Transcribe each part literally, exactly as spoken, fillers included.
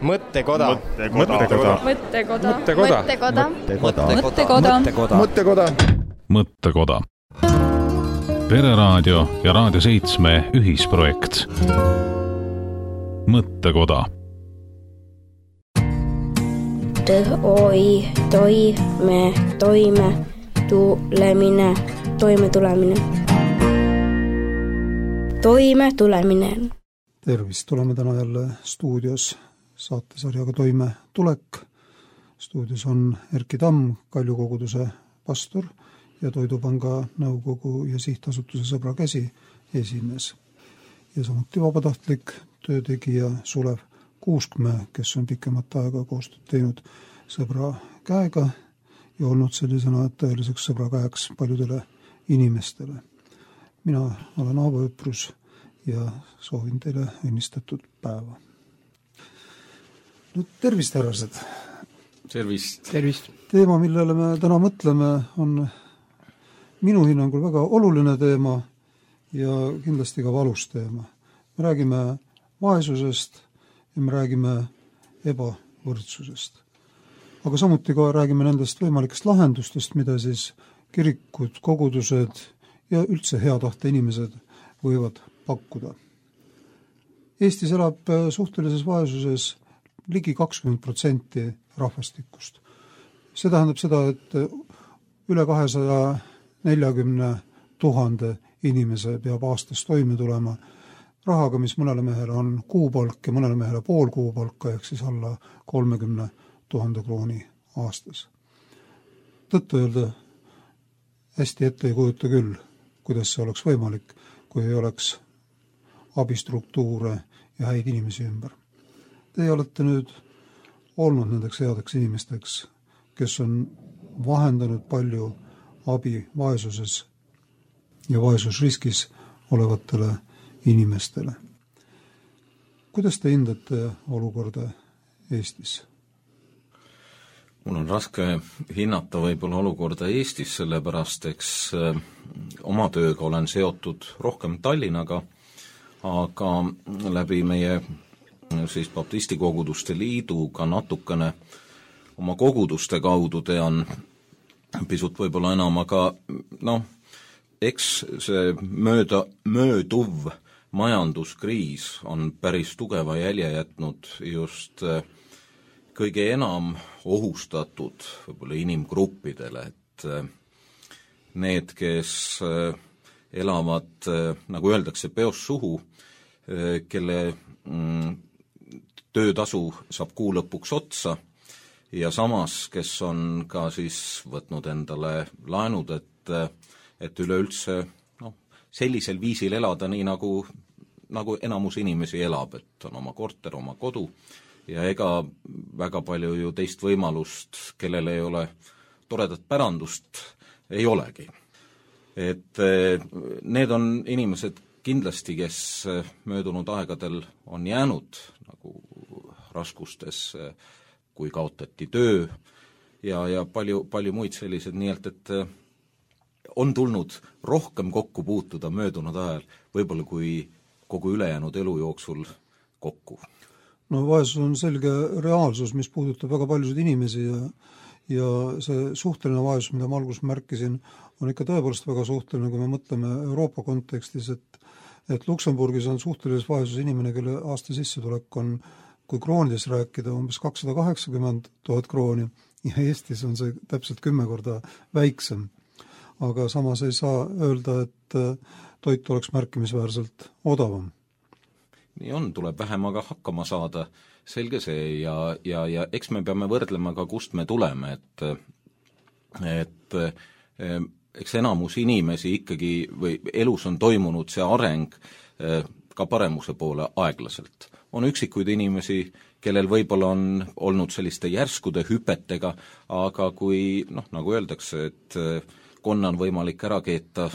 Mõttekoda. Mõttekoda. Mõttekoda. Mõttekoda. Mõttekoda. Mõttekoda. Mõttekoda. Mõttekoda. Pereraadio ja Raadio seitse ühisprojekt. Mõttekoda. Toi, toi, me, toime, tulemine, toime tulemine. Toime tulemine. Tervist, tuleme täna jälle stuudios saatesarjaga Toime tulek. Stuudios on Erki Tamm, Kalju koguduse pastor ja Toidupanga nõukogu ja sihtasutuse Sõbra käsi esimees. Ja samuti vabatahtlik töötegija Sulev Kuuskmäe, kes on pikemat aega koostööd teinud Sõbra käega ja olnud sellisena tõeliseks Sõbra käeks paljudele inimestele. Mina olen Aavo Öprus ja soovin teile õnnistatud päeva. Nüüd tervist, härrased! Tervist! Tervist! Teema, millele me täna mõtleme, on minu hinnangul väga oluline teema ja kindlasti ka valus teema. Me räägime vaesusest ja me räägime ebavõrdsusest. Aga samuti ka räägime nendest võimalikest lahendustest, mida siis kirikud, kogudused ja üldse hea tahte inimesed võivad pakkuda. Eestis elab suhtelises vaesuses ligi kakskümmend protsenti rahvastikust. See tähendab seda, et üle kahesaja neljakümne tuhande inimese peab aastas toime tulema rahaga, mis mõnele mehele on kuupalk ja mõnele mehele pool kuupalka, ehk siis alla kolmekümne tuhande krooni aastas. Tõttu öelda hästi ette ei kujuta küll, kuidas see oleks võimalik, kui ei oleks abistruktuure ja häid inimesi ümber. Teie olete nüüd olnud nendeks headeks inimesteks, kes on vahendanud palju abi vaesuses ja vaesusriskis olevatele inimestele. Kuidas te hindate olukorda Eestis? Mul on raske hinnata võib-olla olukorda Eestis, sellepärast eks oma tööga olen seotud rohkem Tallinnaga, aga läbi meie siis Baptisti koguduste liiduga natukene oma koguduste kaudu tean pisut võib-olla enam, aga noh, eks see mööda, mööduv majanduskriis on päris tugeva jälje jätnud just kõige enam ohustatud võib-olla inimgruppidele, et need, kes elavad, nagu öeldakse, peos suhu, kelle töötasu saab kuu lõpuks otsa ja samas, kes on ka siis võtnud endale laenud, et, et üleüldse noh, sellisel viisil elada nii, nagu, nagu enamus inimesi elab, et on oma korter, oma kodu ja ega väga palju ju teist võimalust, kellel ei ole toredat pärandust, ei olegi. Et need on inimesed kindlasti, kes möödunud aegadel on jäänud nagu raskustes, kui kaotati töö ja, ja palju, palju muid sellised, nii et, et on tulnud rohkem kokku puutuda möödunud ajal, võib-olla kui kogu ülejäänud elu jooksul kokku. No vaesus on selge reaalsus, mis puudutab väga paljusid inimesi ja, ja see suhteline vaesus, mida ma alguses märkisin, on ikka tõepoolest väga suhteline, kui me mõtleme Euroopa kontekstis, et, et Luksemburgis on suhtelises vaesus inimene, kelle aasta sissetulek on, kui kroonides rääkida, umbes kakssada kaheksakümmend tuhat krooni ja Eestis on see täpselt kümme korda väiksem. Aga samas ei saa öelda, et toit oleks märkimisväärselt odavam. Nii on, tuleb vähem aga hakkama saada, selge see ja, ja, ja eks me peame võrdlema ka, kust me tuleme, et, et eks enamus inimesi ikkagi või elus on toimunud see areng ka paremuse poole aeglaselt. On üksikuid inimesi, kellel võib-olla on olnud selliste järskude hüpetega, aga kui, noh, nagu öeldakse, et konna on võimalik ära keeta,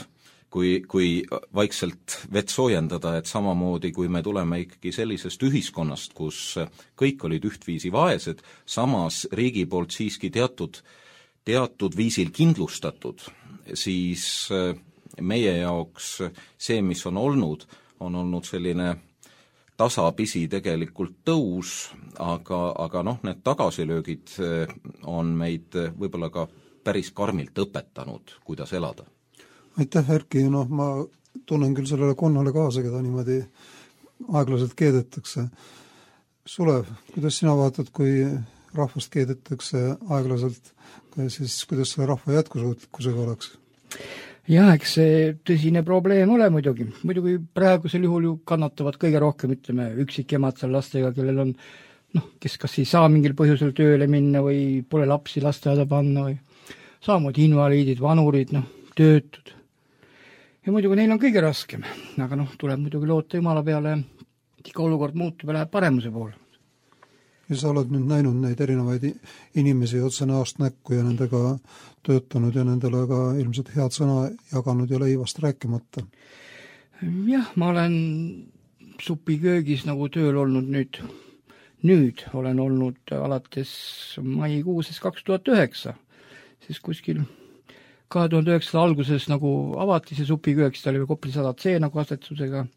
kui, kui vaikselt vett soojendada, et samamoodi, kui me tuleme ikkagi sellisest ühiskonnast, kus kõik olid ühtviisi vaesed, samas riigi poolt siiski teatud, teatud viisil kindlustatud, siis meie jaoks see, mis on olnud, on olnud selline tasapisi tegelikult tõus, aga, aga noh, need tagasilöögid on meid võib-olla ka päris karmilt õpetanud, kuidas elada. Aitäh, Erki, noh, ma tunnen küll sellele konnale kaasa, keda niimoodi aeglaselt keedetakse. Sulev, kuidas sina vaatad, kui rahvast keedetakse aeglaselt, siis kuidas selle rahva jätkusuutlikkusega oleks? Jah, eks see tõsine probleem ole muidugi. Muidugi praegusel juhul ju kannatavad kõige rohkem, ütleme, üksikemad seal lastega, kellel on, noh, kes kas ei saa mingil põhjusel tööle minna või pole lapsi lasteaeda panna või samamoodi invaliidid, vanurid, noh, töötud. Ja muidugi neil on kõige raskem, aga noh, tuleb muidugi loota Jumala peale, iga olukord muutub ja läheb paremuse poole. Ja sa oled nüüd näinud neid erinevaid inimesi otse näost näkku ja nendega töötanud ja nendele ka ilmselt head sõna jaganud ja leivast rääkimata. Jah, ma olen supiköögis nagu tööl olnud nüüd, nüüd olen olnud alates maikuuses kaks tuhat üheksa, siis kuskil kahe tuhande üheksanda alguses nagu avati see supiköök, siis ta oli Kopli sada C nagu asetusega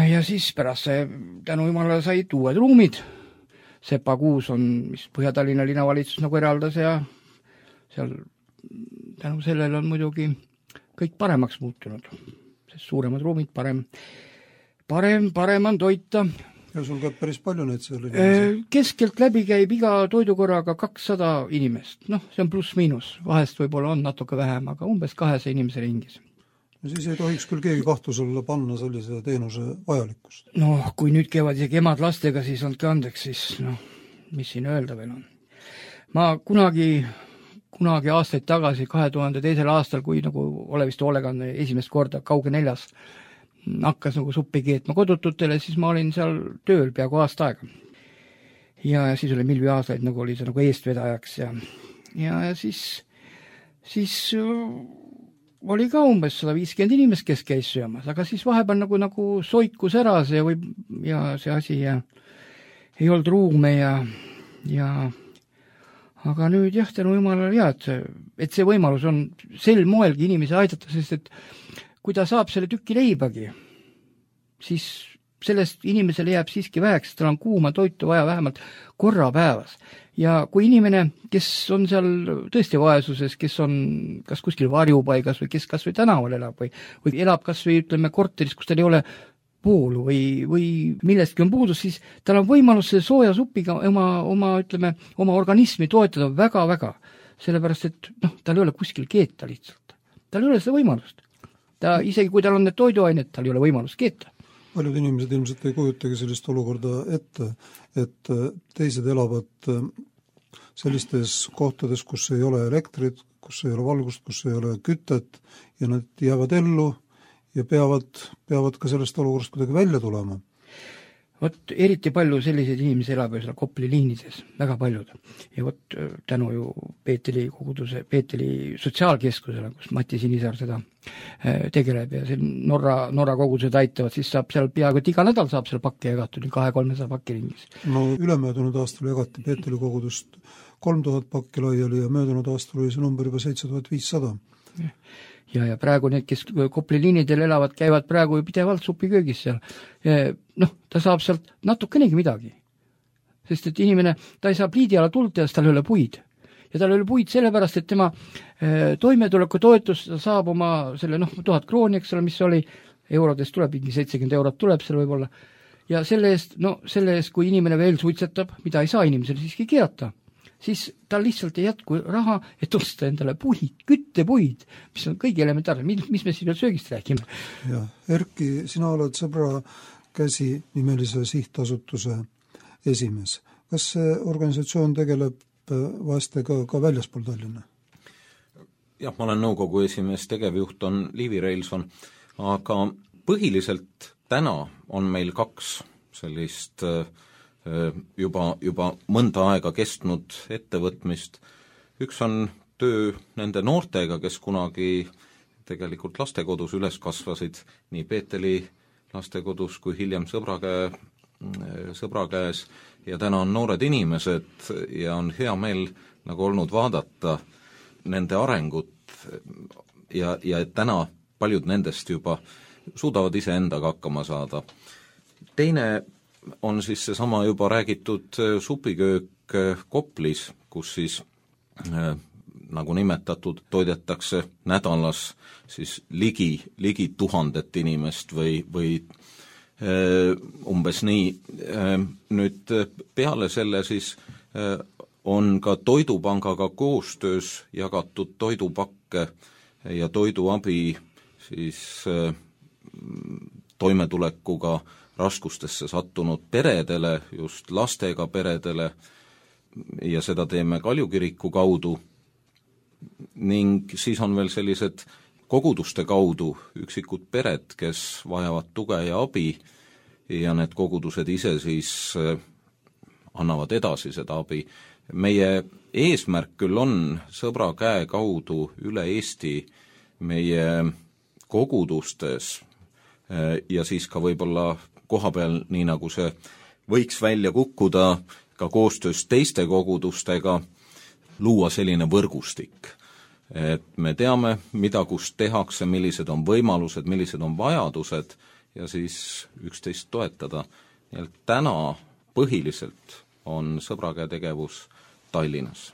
ja siis pärast see tänu Jumalale said uued ruumid. Sepa kuus on, mis Põhja-Tallinna linnavalitsus nagu eraldas ja seal tänu sellele on muidugi kõik paremaks muutunud, sest suuremad ruumid, parem, parem, parem on toita. Ja sul käib päris palju neid selle inimesi? Keskelt läbi käib iga toidukorraga kakssada inimest, noh, see on pluss miinus, vahest võib-olla on natuke vähem, aga umbes kahesaja inimese ringis. No siis ei tohiks küll keegi kahtusele panna sellise teenuse vajalikkust. No, kui nüüd käivad isegi emad lastega, siis andke andeks, siis noh, mis siin öelda veel on. Ma kunagi, kunagi aastaid tagasi, kahe tuhande teisel aastal, kui nagu ole vist hoolekanne esimest korda kauge neljas hakkas nagu suppi keetma kodututele, siis ma olin seal tööl peaaegu aasta aega. Ja, ja siis oli Milvi aastaid, nagu oli see nagu eestvedajaks ja, ja, ja siis, siis oli ka umbes sada viiskümmend inimest, kes käis söömas, aga siis vahepeal nagu, nagu soikus ära see või, ja see asi ja ei olnud ruume ja, ja aga nüüd jah, tänu Jumalale jah, et see, et see võimalus on sel moelgi inimesi aidata, sest et kui ta saab selle tüki leibagi, siis sellest inimesele jääb siiski väheks, tal on kuuma toitu vaja vähemalt korra päevas. Ja kui inimene, kes on seal tõesti vaesuses, kes on kas kuskil varjupaigas või kes kas või tänaval elab või, või elab kas või ütleme korteris, kus tal ei ole voolu või, või millestki on puudus, siis tal on võimalus selle sooja supiga oma, oma, ütleme, oma organismi toetada väga-väga. Sellepärast, et noh, tal ei ole kuskil keeta lihtsalt. Tal ei ole seda võimalust. Ta, isegi kui tal on need toiduained, tal ei ole võimalust keeta. Paljud inimesed ilmselt ei kujutagi sellist olukorda ette, et teised elavad sellistes kohtades, kus ei ole elektrit, kus ei ole valgust, kus ei ole kütet ja nad jäävad ellu ja peavad, peavad ka sellest olukorrast kuidagi välja tulema. Vot eriti palju selliseid inimesi elab ju seal Kopli liinides, väga paljud. Ja vot tänu ju Peeteli koguduse, Peeteli sotsiaalkeskusele, kus Mati Sinisaar seda tegeleb ja see Norra, Norra kogudused aitavad, siis saab seal peaaegu et iga nädal saab seal pakke jagatud, kahe-kolmesaja pakki ringis. No ülemöödunud aastal jagati Peeteli kogudust kolm tuhat pakki laiali ja möödunud aastal oli see number juba seitse tuhat viissada. Ja, ja praegu need, kes Kopli liinidel elavad, käivad praegu ju pidevalt supiköögis seal. Noh, ta saab sealt natukenegi midagi. Sest et inimene, ta ei saa pliidi ala tuld ja tal ei ole puid. Ja tal ei ole puid sellepärast, et tema toimetuleku toetus saab oma selle, noh, tuhat krooni, eks ole, mis oli, eurodest tuleb, mingi seitsekümmend eurot tuleb seal võib-olla. Ja selle eest, no selle eest, kui inimene veel suitsetab, mida ei saa inimesele siiski keerata, siis tal lihtsalt ei jätku raha, et osta endale puid, küttepuid, mis on kõigi elementaarne. Mis, mis me siin veel söögist räägime? Ja, Erki, sina oled Sõbra käsi nimelise sihtasutuse esimees. Kas see organisatsioon tegeleb vastega ka väljaspool Tallinna? Jah, ma olen nõukogu esimees, tegevjuht on Liivi Reilson, aga põhiliselt täna on meil kaks sellist juba, juba mõnda aega kestnud ettevõtmist. Üks on töö nende noortega, kes kunagi tegelikult lastekodus üles kasvasid, nii Peeteli lastekodus kui hiljem sõbra, käe, sõbra käes, ja täna on noored inimesed ja on hea meel nagu olnud vaadata nende arengut ja, ja täna paljud nendest juba suudavad ise endaga hakkama saada. teine on siis seesama juba räägitud supiköök Koplis, kus siis äh, nagu nimetatud, toidetakse nädalas siis ligi, ligi tuhandet inimest või, või äh, umbes nii. Äh, nüüd peale selle siis äh, on ka Toidupangaga koostöös jagatud toidupakke ja toiduabi siis äh, toimetulekuga raskustesse sattunud peredele, just lastega peredele, ja seda teeme Kaljukiriku kaudu. Ning siis on veel sellised koguduste kaudu üksikud pered, kes vajavad tuge ja abi, ja need kogudused ise siis annavad edasi seda abi. Meie eesmärk küll on Sõbra käe kaudu üle Eesti meie kogudustes ja siis ka võib-olla koha peal, nii nagu see võiks välja kukkuda ka koostöös teiste kogudustega, luua selline võrgustik. Et me teame, mida kus tehakse, millised on võimalused, millised on vajadused ja siis üksteist toetada. Ja täna põhiliselt on Sõbra käe tegevus Tallinnas.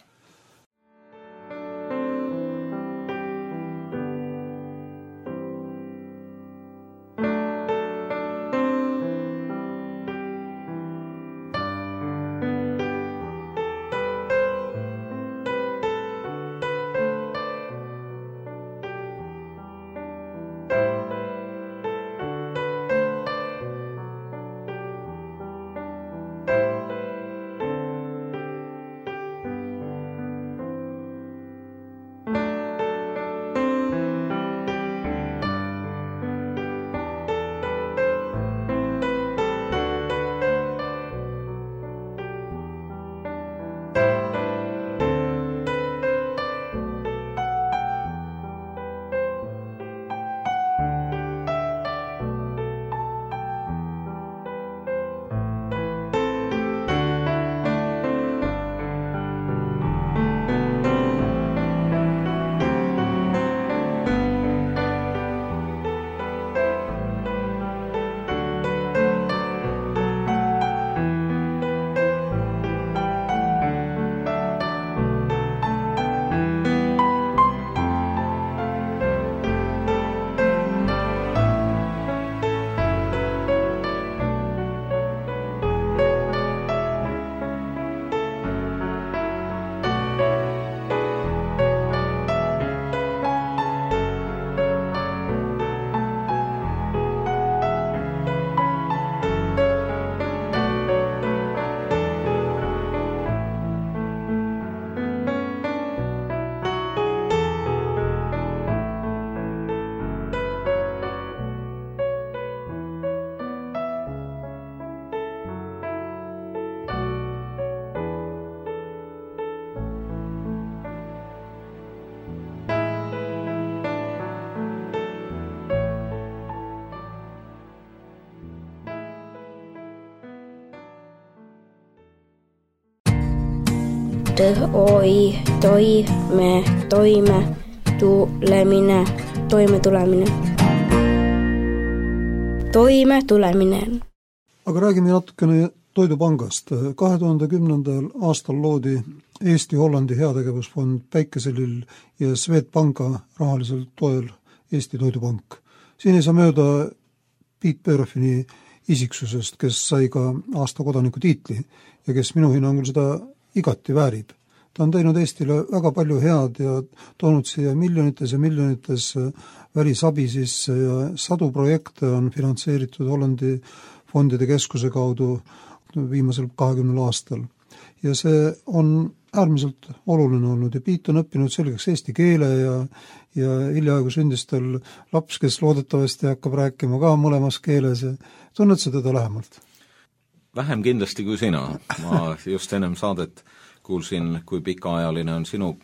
T-O-I, toi, me, toime, tulemine, toime tulemine. Toime tulemine. Aga räägime natukene Toidupangast. kahe tuhande kümnendal aastal loodi Eesti-Hollandi heategevusfond Päikeselill ja Swedbanka rahalisel toel Eesti Toidupank. Siin ei saa mööda Piet Börfini isiksusest, kes sai ka aasta kodaniku tiitli ja kes minu hinnangul seda igati väärib. Ta on teinud Eestile väga palju head ja toonud siia miljonites ja miljonites välisabi sisse ja sadu projekte on finantseeritud Hollandi fondide keskuse kaudu viimasel kahekümnel aastal. Ja see on äärmiselt oluline olnud ja Piit on õppinud selgeks eesti keele ja, ja hiljaaegu sündis tal laps, kes loodetavasti hakkab rääkima ka mõlemas keeles ja tunned sa teda lähemalt? Vähem kindlasti kui sina. Ma just ennem saadet kuulsin, kui pikaajaline on sinu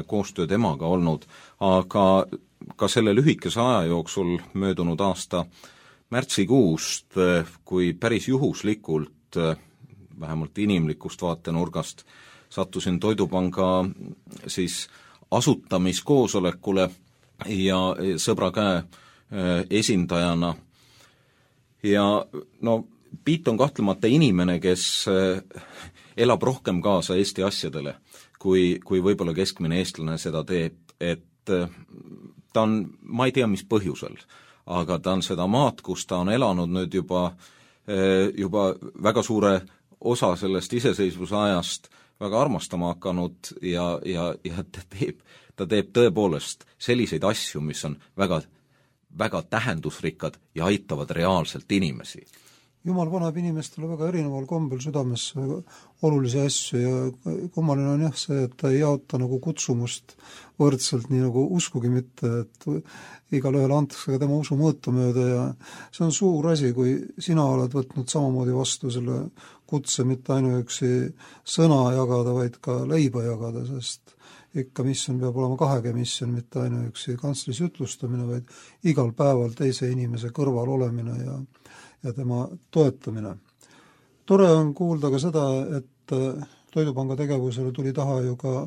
koostöö temaga olnud, aga ka selle lühikese aja jooksul möödunud aasta märtsikuust, kui päris juhuslikult, vähemalt inimlikust vaatenurgast, sattusin Toidupanga siis asutamiskoosolekule ja Sõbra käe esindajana. Ja no Piit on kahtlemata inimene, kes elab rohkem kaasa Eesti asjadele, kui, kui võib-olla keskmine eestlane seda teeb, et ta on, ma ei tea, mis põhjusel, aga ta on seda maad, kus ta on elanud nüüd juba, juba väga suure osa sellest iseseisvuse ajast väga armastama hakanud ja, ja, ja ta teeb, ta teeb tõepoolest selliseid asju, mis on väga, väga tähendusrikkad ja aitavad reaalselt inimesi. Jumal paneb inimestele väga erineval kombel südamesse olulisi asju ja kummaline on jah see, et ta ei jaota nagu kutsumust võrdselt, nii nagu uskugi mitte, et igale ühele antakse ka tema usu mõõtu mööda ja see on suur asi, kui sina oled võtnud samamoodi vastu selle kutse mitte ainuüksi sõna jagada, vaid ka leiba jagada, sest ikka missioon peab olema kahege missioon, mitte ainuüksi kantslis ütlustamine, vaid igal päeval teise inimese kõrval olemine ja ja tema toetamine. Tore on kuulda ka seda, et Toidupanga tegevusele tuli taha ju ka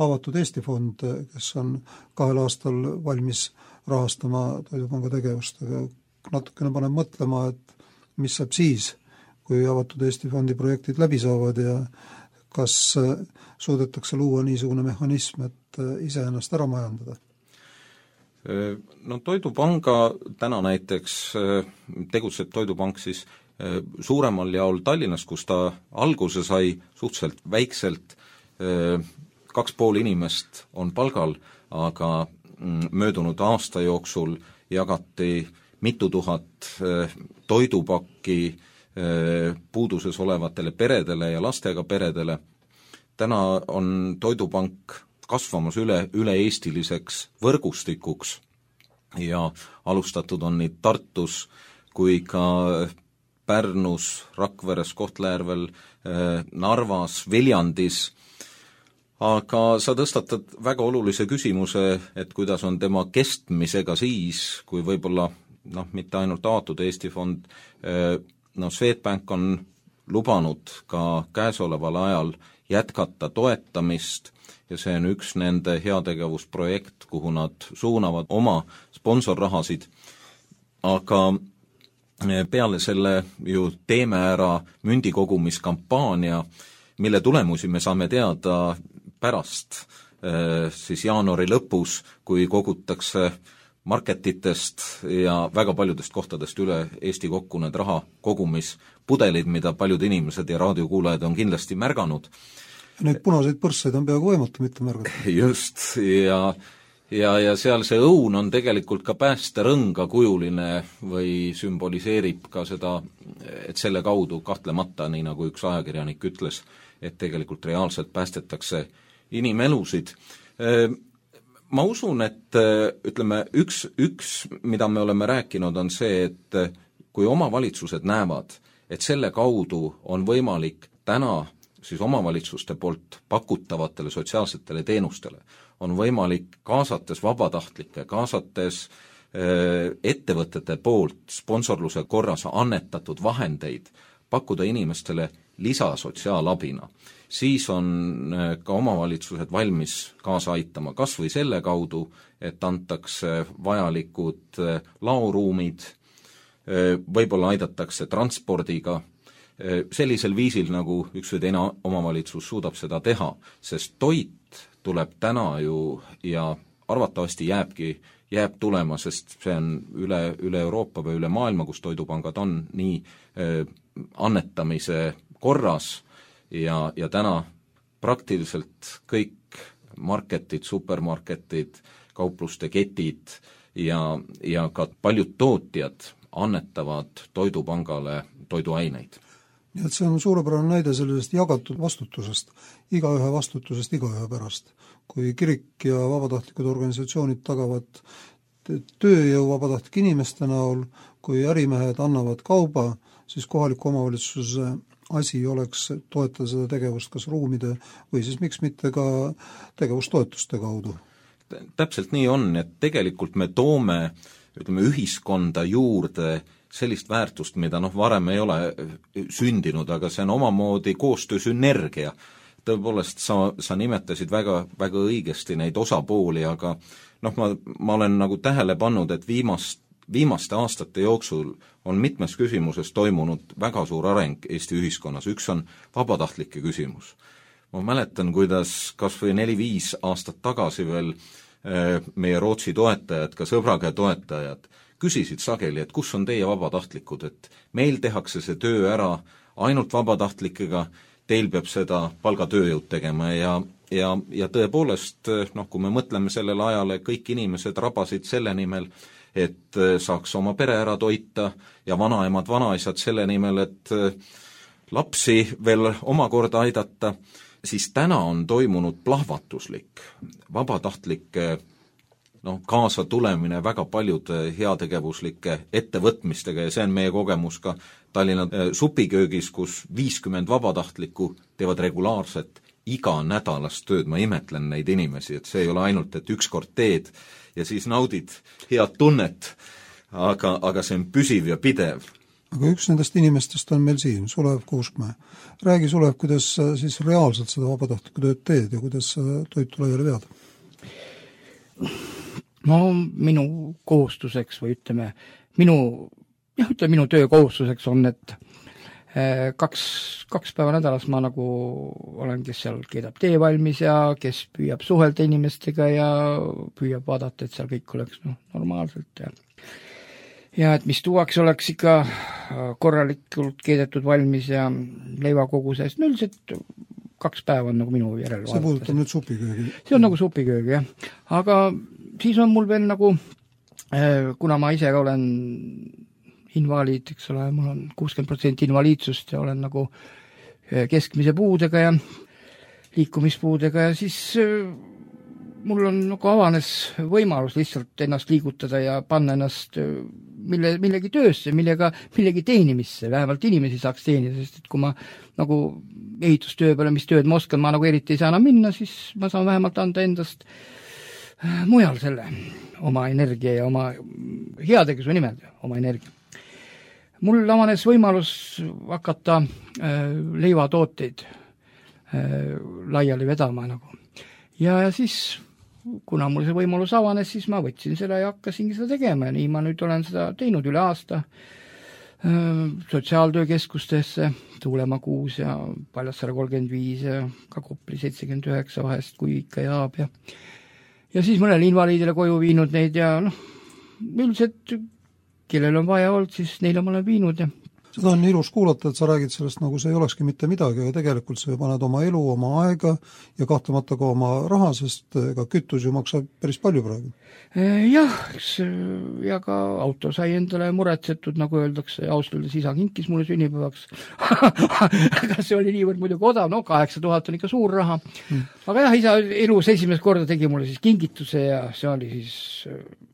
avatud Eesti fond, kes on kahel aastal valmis rahastama Toidupanga tegevust, aga natukene paneb mõtlema, et mis saab siis, kui avatud Eesti fondi projektid läbi saavad ja kas suudetakse luua niisugune mehhanism, et iseennast ära majandada. No Toidupanga täna näiteks tegutseb Toidupank siis suuremal jaol Tallinnas, kus ta alguse sai suhteliselt väikselt, kaks pool inimest on palgal, aga möödunud aasta jooksul jagati mitu tuhat toidupakki puuduses olevatele peredele ja lastega peredele. Täna on Toidupank kasvamas üle, üle-eestiliseks võrgustikuks ja alustatud on nii Tartus kui ka Pärnus, Rakveres, Kohtla-Järvel, Narvas, Viljandis, aga sa tõstatad väga olulise küsimuse, et kuidas on tema kestmisega siis, kui võib-olla noh, mitte ainult avatud Eesti fond, no Swedbank on lubanud ka käesoleval ajal jätkata toetamist ja see on üks nende heategevusprojekt, kuhu nad suunavad oma sponsorrahasid, aga peale selle ju teeme ära mündikogumiskampaania, mille tulemusi me saame teada pärast siis jaanuari lõpus, kui kogutakse marketitest ja väga paljudest kohtadest üle Eesti kokku need raha kogumispudelid, mida paljud inimesed ja raadiokuulajad on kindlasti märganud. Neid punaseid põrsseid on peaaegu võimatu mitte märgata. Just, ja, ja, ja seal see õun on tegelikult ka päästerõnga kujuline või sümboliseerib ka seda, et selle kaudu kahtlemata, nii nagu üks ajakirjanik ütles, et tegelikult reaalselt päästetakse inimelusid. Ma usun, et ütleme, üks, üks, mida me oleme rääkinud, on see, et kui omavalitsused näevad, et selle kaudu on võimalik täna siis omavalitsuste poolt pakutavatele sotsiaalsetele teenustele, on võimalik kaasates vabatahtlikke, kaasates ettevõtete poolt sponsorluse korras annetatud vahendeid pakkuda inimestele lisasotsiaalabina, siis on ka omavalitsused valmis kaasa aitama, kas või selle kaudu, et antakse vajalikud laoruumid, võib-olla aidatakse transpordiga, sellisel viisil, nagu üks või teine omavalitsus suudab seda teha, sest toit tuleb täna ju ja arvatavasti jääbki, jääb tulema, sest see on üle, üle Euroopa või üle maailma, kus toidupangad on nii äh, annetamise korras ja, ja täna praktiliselt kõik marketid, supermarketid, kaupluste ketid ja, ja ka paljud tootjad annetavad toidupangale toiduaineid. Nii et see on suurepärane näide sellisest jagatud vastutusest, igaühe vastutusest igaühe pärast. Kui kirik ja vabatahtlikud organisatsioonid tagavad tööjõu vabatahtlike inimeste näol, kui ärimehed annavad kauba, siis kohaliku omavalitsuse asi oleks toetada seda tegevust kas ruumide või siis miks mitte ka tegevustoetuste kaudu. Täpselt nii on, et tegelikult me toome ütleme, ühiskonda juurde sellist väärtust, mida noh, varem ei ole sündinud, aga see on omamoodi koostöösünergia. Tõepoolest, sa, sa nimetasid väga, väga õigesti neid osapooli, aga noh, ma, ma olen nagu tähele pannud, et viimast, viimaste aastate jooksul on mitmes küsimuses toimunud väga suur areng Eesti ühiskonnas. Üks on vabatahtlike küsimus. Ma mäletan, kuidas kas või neli-viis aastat tagasi veel meie Rootsi toetajad, ka sõbraga toetajad, küsisid sageli, et kus on teie vabatahtlikud, et meil tehakse see töö ära ainult vabatahtlikega, teil peab seda palgatööjõud tegema ja, ja, ja tõepoolest, noh, kui me mõtleme sellele ajale, kõik inimesed rabasid selle nimel, et saaks oma pere ära toita ja vanaemad, vanaisad selle nimel, et lapsi veel omakorda aidata, siis täna on toimunud plahvatuslik vabatahtlike no, kaasa tulemine väga paljude heategevuslike ettevõtmistega ja see on meie kogemus ka Tallinna supiköögis, kus viiskümmend vabatahtlikku teevad regulaarset iga nädalast tööd, ma imetlen neid inimesi, et see ei ole ainult, et ükskord teed ja siis naudid head tunnet, aga, aga see on püsiv ja pidev. Aga üks nendest inimestest on meil siin, Sulev Kuuskmäe. Räägi, Sulev, kuidas sa siis reaalselt seda vabatahtlikku tööd teed ja kuidas sa toitu laiali vead? No minu kohustuseks või ütleme, minu, jah, ütleme, minu töö kohustuseks on, et kaks, kaks päeva nädalas ma nagu olen, kes seal keedab tee valmis ja kes püüab suhelda inimestega ja püüab vaadata, et seal kõik oleks no, normaalselt ja ja et mis tuuaks oleks ikka korralikult keedetud valmis ja leivakoguses, no üldiselt kaks päeva on nagu minu järel see puudutab nüüd supiköögi. See on nagu supiköögi, jah. Aga siis on mul veel nagu, kuna ma ise olen invaliid, eks ole, mul on kuuskümmend protsenti invaliidsust ja olen nagu keskmise puudega ja liikumispuudega ja siis mul on nagu avanes võimalus lihtsalt ennast liigutada ja panna ennast mille, millegi töösse, millega, millegi teenimisse, vähemalt inimesi saaks teenida, sest et kui ma nagu ehitustöö peale, mis tööd ma oskan, ma nagu eriti ei saa enam minna, siis ma saan vähemalt anda endast mujal selle oma energia ja oma heategevuse nimel, oma energia. Mul avanes võimalus hakata äh, leivatooteid äh, laiali vedama nagu. Ja, ja siis kuna mul see võimalus avanes, siis ma võtsin selle ja hakkasingi seda tegema ja nii ma nüüd olen seda teinud üle aasta sotsiaaltöökeskustesse, Tuulemaa kuus ja Paljassaare kolmkümmend viis ja ka Kopli seitsekümmend üheksa vahest, kui ikka jaab ja ja siis mõnele invaliidile koju viinud neid ja noh, üldiselt kellel on vaja olnud, siis neile ma olen viinud ja seda on ilus kuulata, et sa räägid sellest, nagu see ei olekski mitte midagi, aga tegelikult sa paned oma elu, oma aega ja kahtlemata ka oma raha, sest ka kütus ju maksab päris palju praegu. Jah, ja ka auto sai endale muretsetud, nagu öeldakse, austaldes isa kinkis mulle sünnipäevaks. Aga see oli niivõrd muidugi odav, no kaheksa tuhat on ikka suur raha. Hmm. Aga jah, isa elus esimest korda tegi mulle siis kingituse ja see oli siis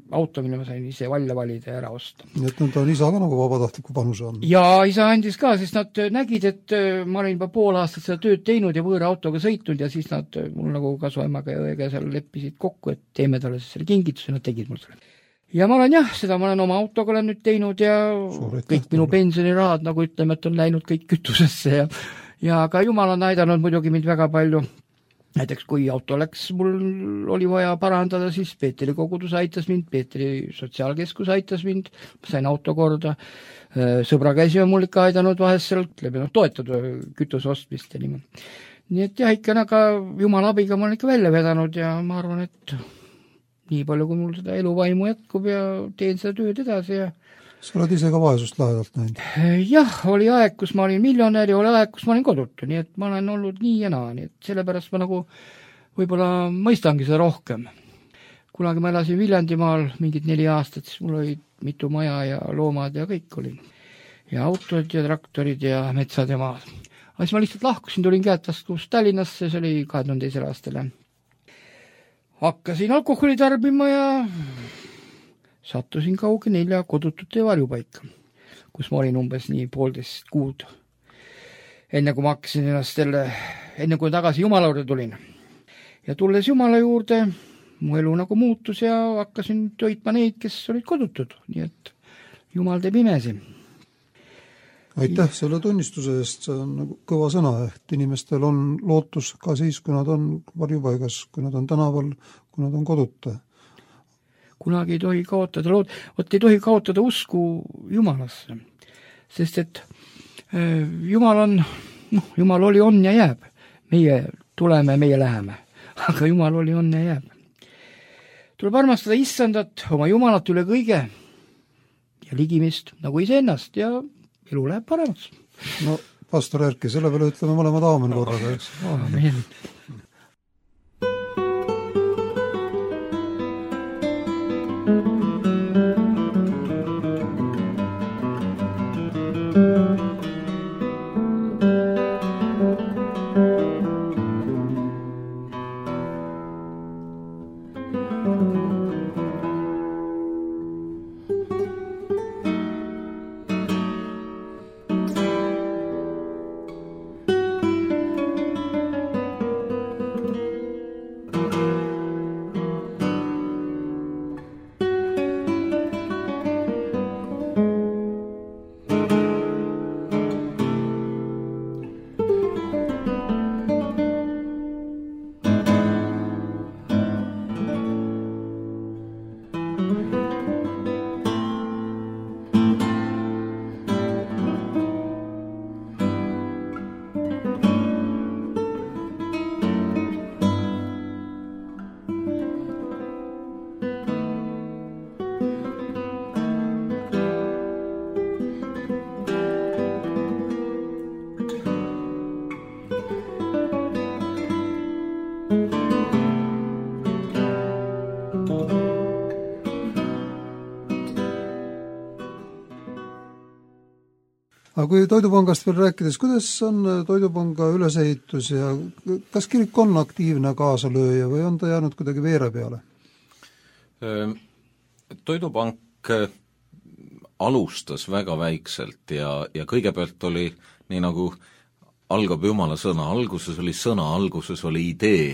auto, mille ma sain ise välja valida ja ära osta. Nii et nüüd on isa ka nagu vabatahtliku panuse on. Ja isa andis ka, sest nad nägid, et ma olin juba pool aastat seda tööd teinud ja võõra autoga sõitnud ja siis nad mul nagu kasuemaga ja õega seal leppisid kokku, et teeme talle selle kingituse, nad tegid mul selle. Ja ma olen jah, seda ma olen oma autoga olen nüüd teinud ja Suuret kõik minu pensionirahad, nagu ütleme, et on läinud kõik kütusesse ja, ja ka Jumal on aidanud muidugi mind väga palju. Näiteks kui auto läks, mul oli vaja parandada, siis Peetri kogudus aitas mind, Peetri sotsiaalkeskus aitas mind, ma sain auto korda, sõbra käsi on mul ikka aidanud vahest seal, ütleme, no, toetada kütuse ostmist ja niimoodi. Nii et jah, ikka aga Jumala abiga ma olen ikka välja vedanud ja ma arvan, et nii palju, kui mul seda eluvaimu jätkub ja teen seda tööd edasi ja sa oled ise ka vaesust lähedalt näinud? Jah, oli aeg, kus ma olin miljonär ja oli aeg, kus ma olin kodutu, nii et ma olen olnud nii ja naa, nii et sellepärast ma nagu võib-olla mõistangi seda rohkem. Kunagi ma elasin Viljandimaal mingid neli aastat, siis mul oli mitu maja ja loomad ja kõik oli. Ja autod ja traktorid ja metsad ja maad. Aga siis ma lihtsalt lahkusin, tulin käetaskus Tallinnasse, see oli kahe tuhande teisel aastal. Hakkasin alkoholi tarbima ja sattusin kauge nelja kodutute varjupaika, kus ma olin umbes nii poolteist kuud. Enne kui ma hakkasin ennast selle, enne kui tagasi Jumala juurde tulin. Ja tulles Jumala juurde, mu elu nagu muutus ja hakkasin toitma neid, kes olid kodutud, nii et Jumal teeb imesi. Aitäh selle tunnistuse eest, see on nagu kõva sõna, et inimestel on lootus ka siis, kui nad on varjupaigas, kui nad on tänaval, kui nad on koduta. kunagi ei tohi kaotada lood, vot ei tohi kaotada usku Jumalasse, sest et äh, Jumal on, noh, Jumal oli, on ja jääb, meie tuleme, meie läheme, aga Jumal oli, on ja jääb. Tuleb armastada issandat, oma Jumalat üle kõige ja ligimist nagu iseennast ja elu läheb paremaks. No, pastor Erki, selle peale ütleme mõlemad aamen korraga, eks? Aamen. Aga kui Toidupangast veel rääkides, kuidas on Toidupanga ülesehitus ja kas kirik on aktiivne kaasalööja või on ta jäänud kuidagi veere peale? Toidupank alustas väga väikselt ja, ja kõigepealt oli nii nagu algab Jumala sõna, alguses oli sõna, alguses oli idee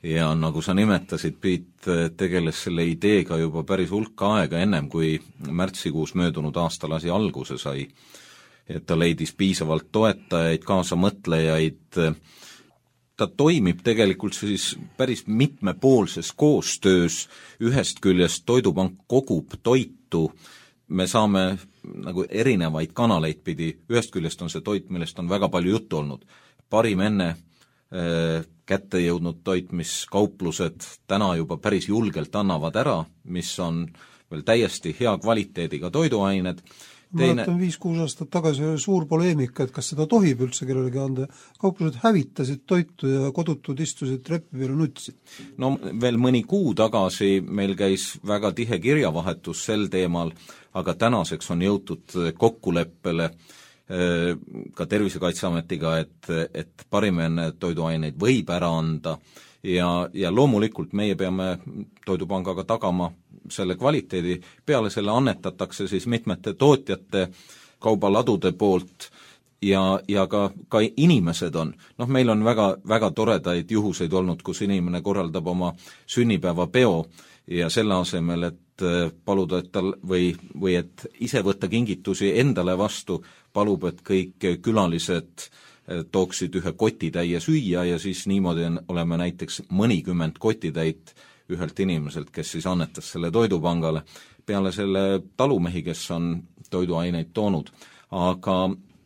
ja nagu sa nimetasid, Piit tegeles selle ideega juba päris hulka aega ennem, kui märtsikuus möödunud aasta lasi alguse sai. Et ta leidis piisavalt toetajaid, kaasamõtlejaid, ta toimib tegelikult siis päris mitmepoolses koostöös, ühest küljest Toidupank kogub toitu, me saame nagu erinevaid kanaleid pidi, ühest küljest on see toit, millest on väga palju juttu olnud, parim enne äh, kätte jõudnud toit, mis kauplused täna juba päris julgelt annavad ära, mis on veel täiesti hea kvaliteediga toiduained. Teine... Ma viis-kuus aastat tagasi oli suur poleemika, et kas seda tohib üldse kellelegi anda. Kauplused hävitasid toitu ja kodutud istusid trepi peale nutsid. No veel mõni kuu tagasi meil käis väga tihe kirjavahetus sel teemal, aga tänaseks on jõutud kokkuleppele ka Tervisekaitseametiga, et, et parimene toiduaineid võib ära anda ja, ja loomulikult meie peame Toidupangaga tagama selle kvaliteedi, peale selle annetatakse siis mitmete tootjate kaubaladude poolt ja, ja ka, ka inimesed on, noh meil on väga, väga toredaid juhuseid olnud, kus inimene korraldab oma sünnipäeva peo ja selle asemel, et paluda, et tal või, või et ise võtta kingitusi endale vastu, palub, et kõik külalised tooksid ühe kotitäie süüa ja siis niimoodi oleme näiteks mõnikümmend kotitäit ühelt inimeselt, kes siis annetas selle Toidupangale, peale selle talumehi, kes on toiduaineid toonud. Aga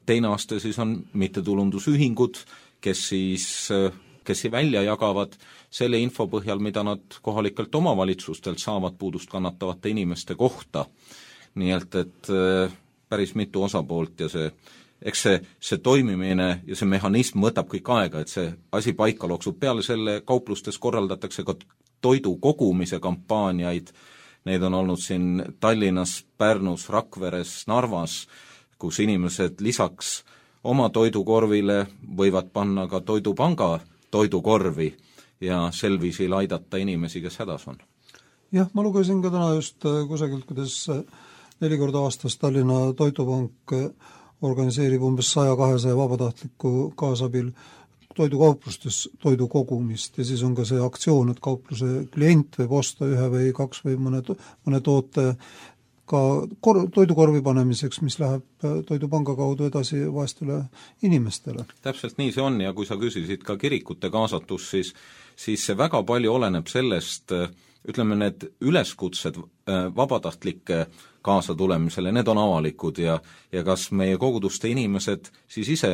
teine aste siis on mittetulundusühingud, kes siis, kes siis välja jagavad selle info põhjal, mida nad kohalikelt omavalitsustelt saavad puudust kannatavate inimeste kohta. Nii et, et päris mitu osapoolt ja see eks see, see toimimine ja see mehhanism võtab kõik aega, et see asi paika looksub. Peale selle kauplustes korraldatakse ka toidu kogumise kampaaniaid, need on olnud siin Tallinnas, Pärnus, Rakveres, Narvas, kus inimesed lisaks oma toidukorvile võivad panna ka Toidupanga toidukorvi ja sel viisil aidata inimesi, kes hädas on. Jah, ma lugesin ka täna just kusagilt, kuidas neli korda aastas Tallinna Toidupank organiseerib umbes sada kahesaja vabatahtliku kaasabil toidukauplustes toidu kogumist ja siis on ka see aktsioon, et kaupluse klient võib osta ühe või kaks või mõne, mõne toote ka kor, toidukorvi panemiseks, mis läheb Toidupanga kaudu edasi vaestele inimestele. Täpselt nii see on ja kui sa küsisid ka kirikute kaasatus, siis, siis see väga palju oleneb sellest, ütleme, need üleskutsed vabatahtlike kaasatulemisele, need on avalikud ja, ja kas meie koguduste inimesed siis ise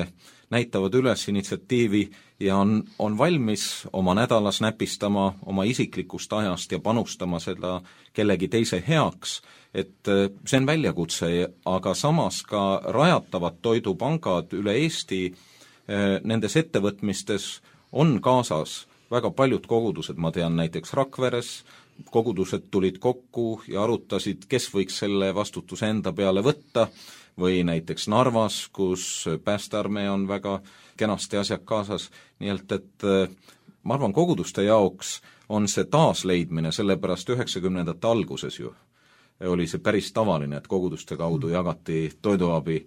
näitavad üles initsiatiivi ja on, on valmis oma nädalas näpistama oma isiklikust ajast ja panustama seda kellegi teise heaks, et see on väljakutse, aga samas ka rajatavad toidupangad üle Eesti nendes ettevõtmistes on kaasas väga paljud kogudused, ma tean näiteks Rakveres, kogudused tulid kokku ja arutasid, kes võiks selle vastutuse enda peale võtta, või näiteks Narvas, kus päästearmee on väga kenasti asjad kaasas, nii et, et ma arvan, koguduste jaoks on see taasleidmine, sellepärast üheksakümnendate alguses ju oli see päris tavaline, et koguduste kaudu jagati toiduabi,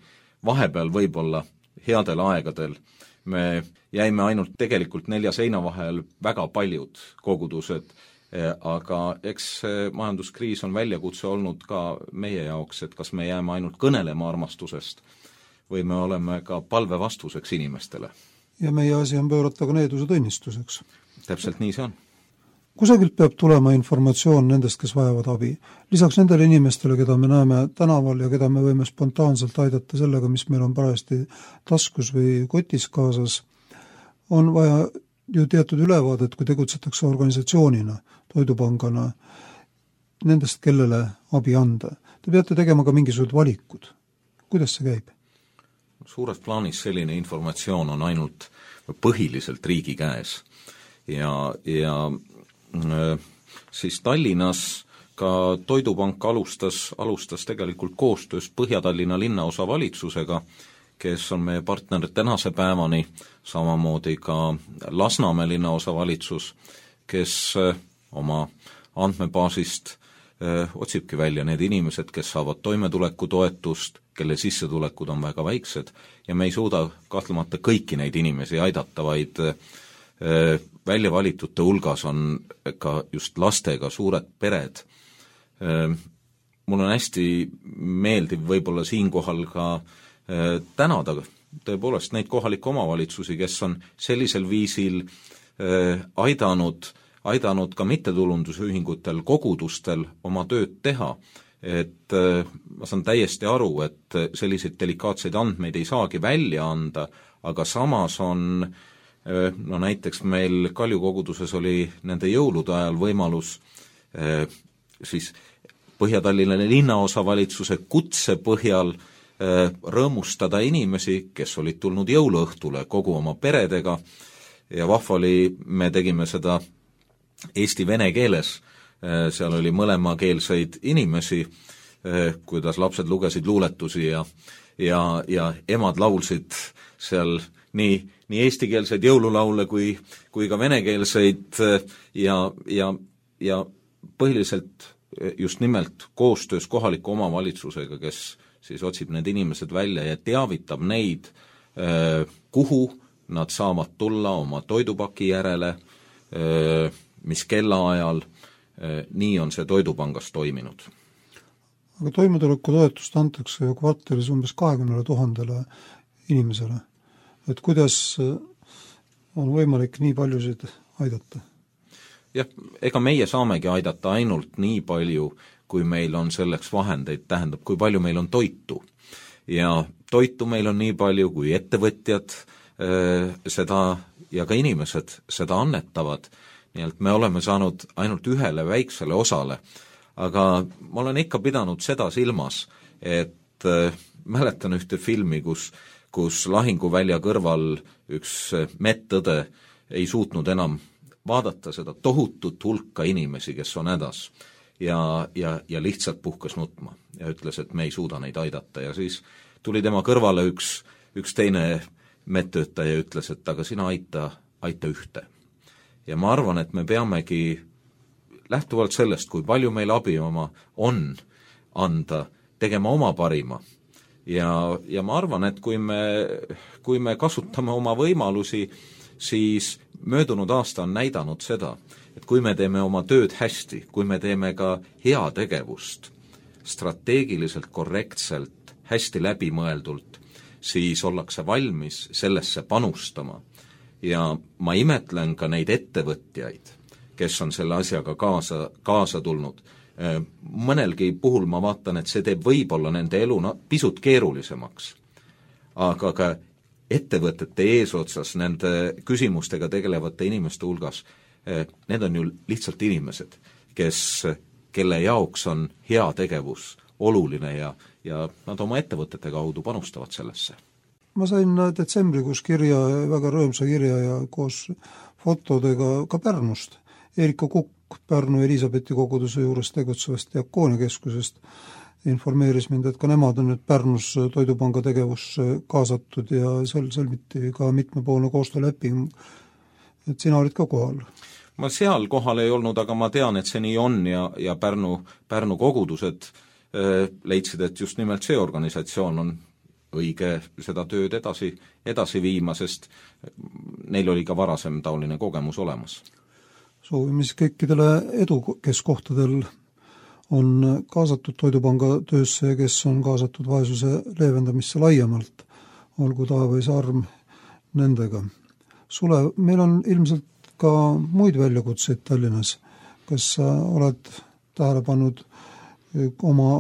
vahepeal võib-olla headel aegadel me jäime ainult tegelikult nelja seina vahel väga paljud kogudused, aga eks majanduskriis on väljakutse olnud ka meie jaoks, et kas me jääme ainult kõnelema armastusest või me oleme ka palve vastuseks inimestele. Ja meie asi on pöörata ka needuse tõnnistuseks. Täpselt nii see on. Kusagilt peab tulema informatsioon nendest, kes vajavad abi. Lisaks nendele inimestele, keda me näeme tänaval ja keda me võime spontaanselt aidata sellega, mis meil on parajasti taskus või kotis kaasas, on vaja ju teatud ülevaadet, kui tegutsetakse organisatsioonina, toidupangana, nendest, kellele abi anda. Te peate tegema ka mingisugused valikud. Kuidas see käib? Suures plaanis selline informatsioon on ainult põhiliselt riigi käes ja, ja siis Tallinnas ka Toidupank alustas, alustas tegelikult koostöös Põhja-Tallinna linnaosa valitsusega, kes on meie partner tänase päevani, samamoodi ka Lasnamäe linnaosa valitsus, kes oma andmebaasist öö, otsibki välja need inimesed, kes saavad toimetulekutoetust, kelle sissetulekud on väga väiksed ja me ei suuda kahtlemata kõiki neid inimesi aidata, vaid öö, välja valitute hulgas on ka just lastega suured pered. Mul on hästi meeldiv võib-olla siinkohal ka tänada tõepoolest neid kohalikke omavalitsusi, kes on sellisel viisil aidanud, aidanud ka mittetulundusühingutel, kogudustel oma tööd teha. Et ma saan täiesti aru, et selliseid delikaatseid andmeid ei saagi välja anda, aga samas on no näiteks meil Kalju koguduses oli nende jõulude ajal võimalus eh, siis Põhja-Tallinna linnaosa valitsuse kutse põhjal eh, rõõmustada inimesi, kes olid tulnud jõuluõhtule kogu oma peredega ja vahva oli, me tegime seda eesti-vene keeles, eh, seal oli mõlemakeelseid inimesi, eh, kuidas lapsed lugesid luuletusi ja, ja, ja emad laulsid seal nii nii eestikeelseid jõululaule kui, kui ka venekeelseid ja, ja, ja põhiliselt just nimelt koostöös kohaliku omavalitsusega, kes siis otsib need inimesed välja ja teavitab neid, kuhu nad saavad tulla oma toidupaki järele, mis kellaajal, nii on see Toidupangas toiminud. Aga toimetulekutoetust antakse ju kvartalis umbes kahekümnele tuhandele inimesele. Et kuidas on võimalik nii paljusid aidata? Jah, ega meie saamegi aidata ainult nii palju, kui meil on selleks vahendeid, tähendab, kui palju meil on toitu. Ja toitu meil on nii palju, kui ettevõtjad äh, seda ja ka inimesed seda annetavad. Nii et me oleme saanud ainult ühele väiksele osale. Aga ma olen ikka pidanud seda silmas, et äh, mäletan ühte filmi, kus kus lahinguvälja kõrval üks medõde ei suutnud enam vaadata seda tohutut hulka inimesi, kes on hädas ja, ja, ja lihtsalt puhkas nutma ja ütles, et me ei suuda neid aidata ja siis tuli tema kõrvale üks, üks teine medtöötaja ja ütles, et aga sina aita, aita ühte. Ja ma arvan, et me peamegi lähtuvalt sellest, kui palju meil abi oma on anda, tegema oma parima. Ja, ja ma arvan, et kui me, kui me kasutame oma võimalusi, siis möödunud aasta on näidanud seda, et kui me teeme oma tööd hästi, kui me teeme ka heategevust strateegiliselt, korrektselt, hästi läbimõeldult, siis ollakse valmis sellesse panustama. Ja ma imetlen ka neid ettevõtjaid, kes on selle asjaga kaasa, kaasa tulnud. Mõnelgi puhul ma vaatan, et see teeb võib-olla nende elu pisut keerulisemaks, aga ka ettevõtete eesotsas nende küsimustega tegelevate inimeste hulgas, need on ju lihtsalt inimesed, kes, kelle jaoks on hea tegevus oluline ja, ja nad oma ettevõtete kaudu panustavad sellesse. Ma sain detsembrikuus kirja, väga rõõmsa kirja ja koos fotodega ka Pärnust. Erika Kukk Pärnu Elisabethi koguduse juures tegutsevast diakoonikeskusest informeeris mind, et ka nemad on nüüd Pärnus Toidupanga tegevus kaasatud ja seal sõlmiti ka mitmepoolne koostööleping, et sina olid ka kohal. Ma seal kohal ei olnud, aga ma tean, et see nii on ja, ja Pärnu, Pärnu kogudused äh, leidsid, et just nimelt see organisatsioon on õige seda tööd edasi, edasi viima, sest neil oli ka varasem taoline kogemus olemas. Soovime siis kõikidele edu, kes kohtadel on kaasatud Toidupanga töösse ja kes on kaasatud vaesuse leevendamisse laiemalt, olgu taevais arm nendega. Sule, meil on ilmselt ka muid väljakutseid Tallinnas. Kas sa oled tähele pannud oma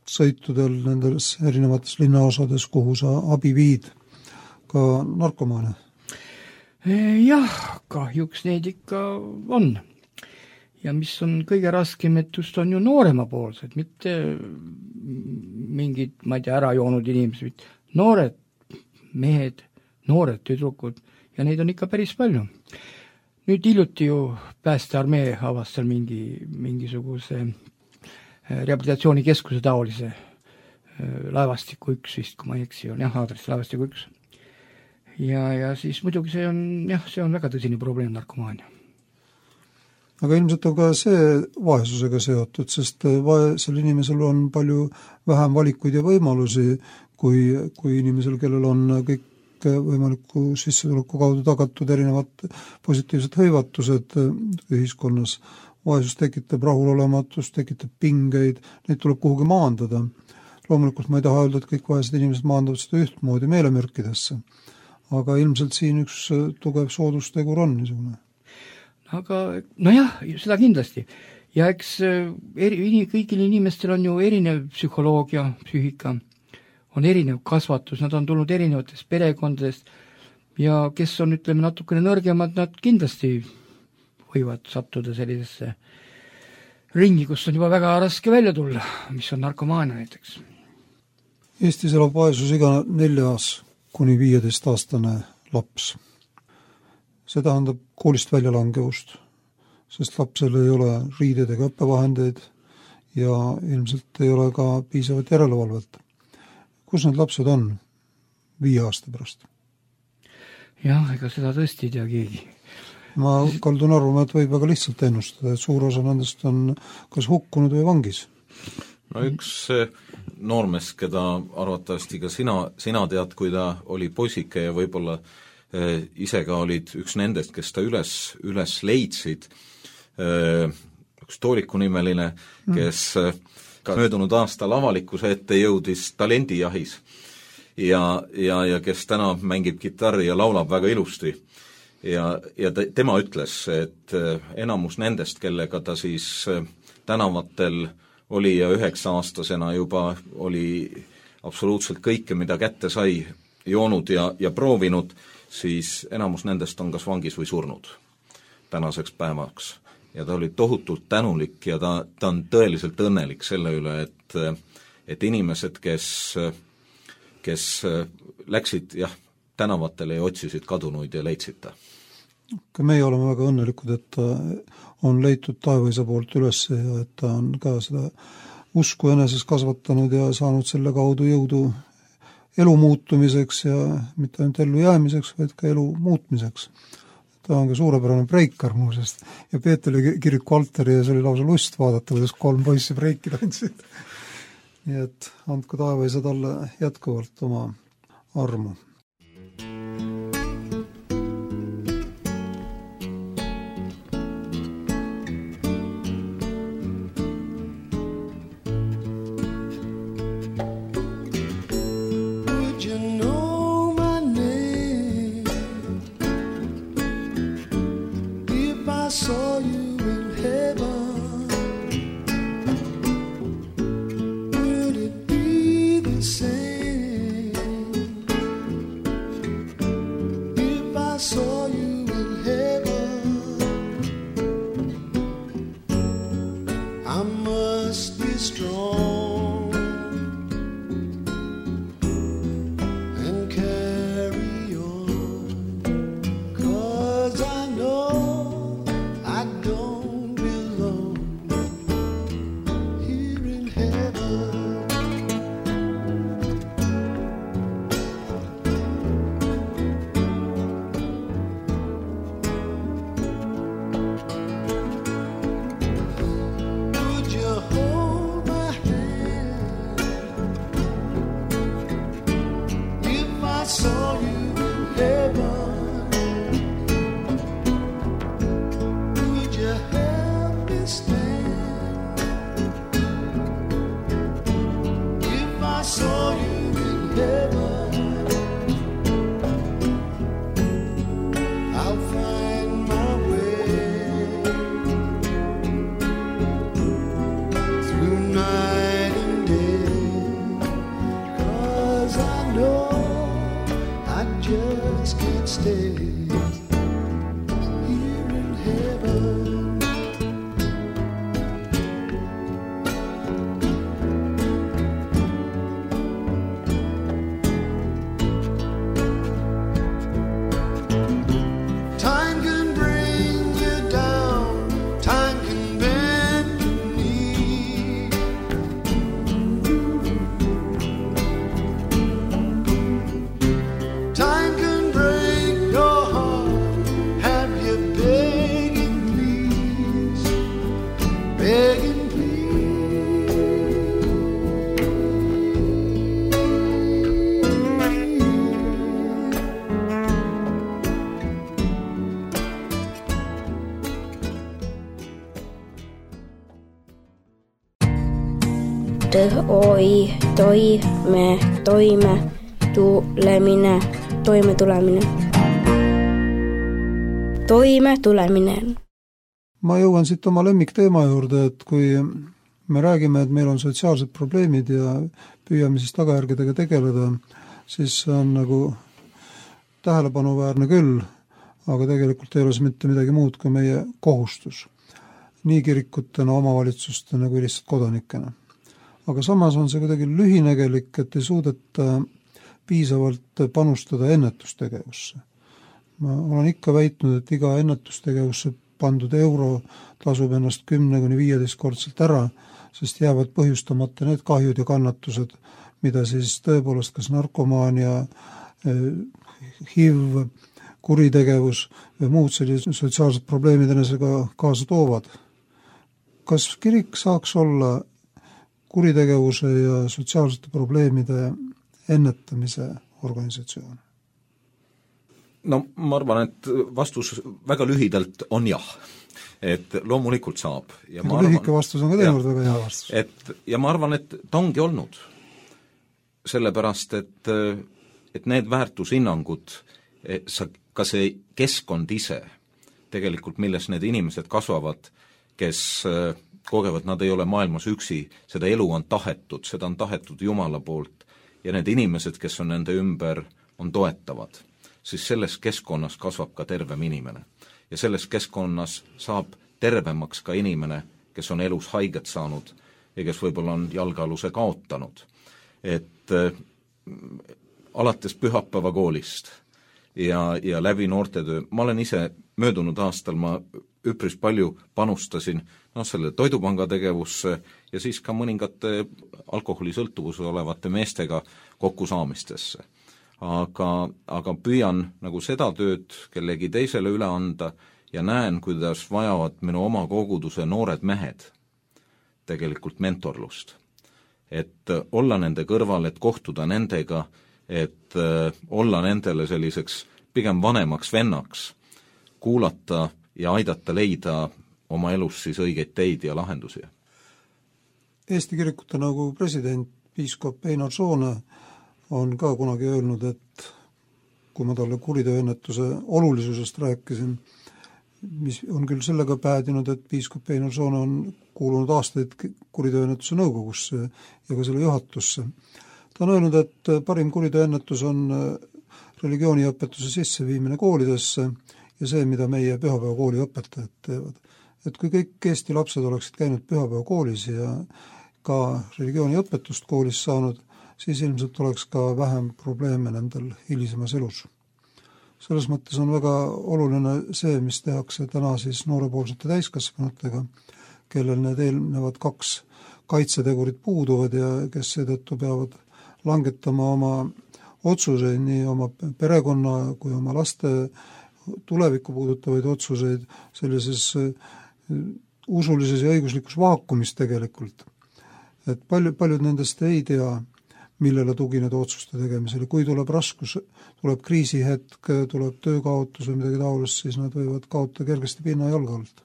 sõitudel nendes erinevates linnaosades, kuhu sa abi viid, ka narkomaane? Jah, kahjuks neid ikka on. Ja mis on kõige raskem, et just on ju noorema poolsed, mitte mingid, ma ei tea, ära joonud inimesed, noored mehed, noored tüdrukud ja neid on ikka päris palju. Nüüd hiljuti ju päästearmee avastas mingi, mingisuguse rehabilitatsioonikeskuse taolise laevastiku üks vist, kui ma ei eksi, on jah, aadress laevastiku üks. Ja, ja siis muidugi see on, jah, see on väga tõsine probleem narkomaania. Aga ilmselt on ka see vaesusega seotud, sest vaesel inimesel on palju vähem valikuid ja võimalusi, kui, kui inimesel, kellel on kõik võimaliku sissetuleku kaudu tagatud erinevad positiivsed hõivatused ühiskonnas. Vaesus tekitab rahulolematust, tekitab pingeid, neid tuleb kuhugi maandada. Loomulikult ma ei taha öelda, et kõik vaesed inimesed maandavad seda ühtmoodi meelemürkidesse, aga ilmselt siin üks tugev soodustegur on niisugune. Aga nojah, seda kindlasti. Ja eks eri, kõigil inimestel on ju erinev psühholoogia, psüühika, on erinev kasvatus, nad on tulnud erinevatest perekondadest ja kes on, ütleme, natukene nõrgemad, nad kindlasti võivad sattuda sellisesse ringi, kus on juba väga raske välja tulla, mis on narkomaania näiteks. Eestis elab vaesus iga neljas kuni viieteist aastane laps. See tähendab koolist väljalangevust, sest lapsel ei ole riided ega õppevahendeid ja ilmselt ei ole ka piisavat järelevalvet. Kus need lapsed on viie aasta pärast? Jah, ega seda tõesti ei tea keegi. Ma kaldun arvama, et võib väga lihtsalt ennustada, et suur osa nendest on kas hukkunud või vangis. No üks noormes, keda arvatavasti ka sina, sina tead, kui ta oli poisike ja võib-olla eh, ise ka olid üks nendest, kes ta üles, üles leidsid, eh, üks Tooriku nimeline, kes eh, ka möödunud aastal avalikkuse ette jõudis talendijahis ja, ja, ja kes täna mängib kitarri ja laulab väga ilusti. Ja, ja tema ütles, et enamus nendest, kellega ta siis tänavatel oli ja üheksa aastasena juba oli absoluutselt kõike, mida kätte sai, joonud ja, ja proovinud, siis enamus nendest on kas vangis või surnud tänaseks päevaks. Ja ta oli tohutult tänulik ja ta, ta on tõeliselt õnnelik selle üle, et, et inimesed, kes, kes läksid jah, tänavatele ja otsisid kadunuid ja leidsid ta. Ka meie oleme väga õnnelikud, et ta on leitud taevaisa poolt üles ja et ta on ka seda usku eneses kasvatanud ja saanud selle kaudu jõudu elu muutumiseks ja mitte ainult ellu jäämiseks, vaid ka elu muutmiseks. Ta on ka suurepärane breikar muusest ja Peetri kiriku altari ja see oli lausa lust vaadata, kuidas kolm poissi breiki tantsid. Nii et andku taevaisa talle jätkuvalt oma armu. saw you in heaven, would it be the same if I saw you in heaven? I must be strong and carry on, 'cause I know I don't belong here in heaven. Would you hold my hand if I saw you in heaven? Would you help me stand if I saw you in heaven? I'll find my way through night and day, 'cause I know I just can't stay here in heaven. Time can bring you down, time can bend your knee. Time can break your heart, have you begging please, begging please. Oi, toi, me, toime, tulemine, toime tulemine. Toime tulemine. ma jõuan siit oma lemmikteema juurde, et kui me räägime, et meil on sotsiaalsed probleemid ja püüame siis tagajärgedega tegeleda, siis see on nagu tähelepanuväärne küll, aga tegelikult ei ole see mitte midagi muud kui meie kohustus. Nii kirikutena, omavalitsustena kui lihtsalt kodanikena. Aga samas on see kuidagi lühinägelik, et ei suudeta piisavalt panustada ennetustegevusse. Ma olen ikka väitnud, et iga ennetustegevusse pandud euro tasub ennast kümne kuni viieteist kordselt ära, sest jäävad põhjustamata need kahjud ja kannatused, mida siis tõepoolest kas narkomaania, H I V, kuritegevus või muud sellised sotsiaalsed probleemid enesega kaasa toovad. Kas kirik saaks olla kuritegevuse ja sotsiaalsete probleemide ennetamise organisatsioon? No ma arvan, et vastus väga lühidalt on jah. Et loomulikult saab. Ja ma lühike arvan, vastus on ka teinekord väga hea vastus. Et, ja ma arvan, et ta ongi olnud. Sellepärast, et, et need väärtushinnangud, sa, ka see keskkond ise, tegelikult milles need inimesed kasvavad, kes kogevad, nad ei ole maailmas üksi, seda elu on tahetud, seda on tahetud Jumala poolt ja need inimesed, kes on nende ümber, on toetavad, siis selles keskkonnas kasvab ka tervem inimene. Ja selles keskkonnas saab tervemaks ka inimene, kes on elus haiget saanud ja kes võib-olla on jalgealuse kaotanud. Et äh, alates pühapäeva koolist ja, ja läbi noortetöö, ma olen ise möödunud aastal, ma üpris palju panustasin no, selle toidupanga tegevusse ja siis ka mõningate alkoholisõltuvuse olevate meestega kokkusaamistesse. Aga, aga püüan nagu seda tööd kellegi teisele üle anda ja näen, kuidas vajavad minu oma koguduse noored mehed tegelikult mentorlust. Et olla nende kõrval, et kohtuda nendega, et olla nendele selliseks pigem vanemaks vennaks, kuulata ja aidata leida oma elus siis õigeid teid ja lahendusi. Eesti Kirikute Nõukogu president, piiskop Einar Soone on ka kunagi öelnud, et kui ma talle kuriteoennetuse olulisusest rääkisin mis on küll sellega päädinud, et piiskop Einar Soone on kuulunud aastaid kuriteoennetuse nõukogusse ja ka selle juhatusse. Ta on öelnud, et parim kuriteoennetus on religiooniõpetuse sisseviimine koolidesse ja see, mida meie pühapäevakooli õpetajad teevad. Et kui kõik Eesti lapsed oleksid käinud pühapäevakoolis ja ka religiooniõpetust koolis saanud, siis ilmselt oleks ka vähem probleeme nendel hilisemas elus. Selles mõttes on väga oluline see, mis tehakse täna siis noorepoolsete täiskasvanutega, kellel need eelnevad kaks kaitsetegurid puuduvad ja kes seetõttu peavad langetama oma otsuseid, nii oma perekonna kui oma laste tulevikku puudutavaid otsuseid sellises usulises ja õiguslikus vaakumis tegelikult. Et palju, paljud nendest ei tea, millele tugineda otsuste tegemisele. Kui tuleb raskus, tuleb kriisihetk, tuleb töökaotus või midagi taolist, siis nad võivad kaotada kergesti pinna jalga alt.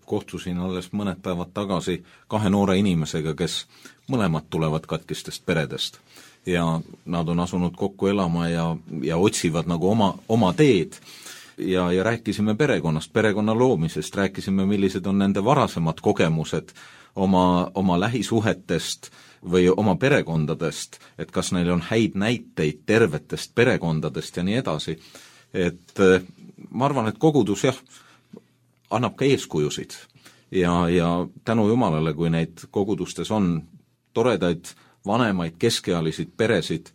Kohtusin alles mõned päevad tagasi kahe noore inimesega, kes mõlemad tulevad katkistest peredest ja nad on asunud kokku elama ja, ja otsivad nagu oma, oma teed ja, ja rääkisime perekonnast, perekonna loomisest, rääkisime, millised on nende varasemad kogemused oma, oma lähisuhetest või oma perekondadest, et kas neil on häid näiteid tervetest perekondadest ja nii edasi. Et ma arvan, et kogudus jah, annab ka eeskujusid ja, ja tänu Jumalale, kui neid kogudustes on toredaid vanemaid keskealisid peresid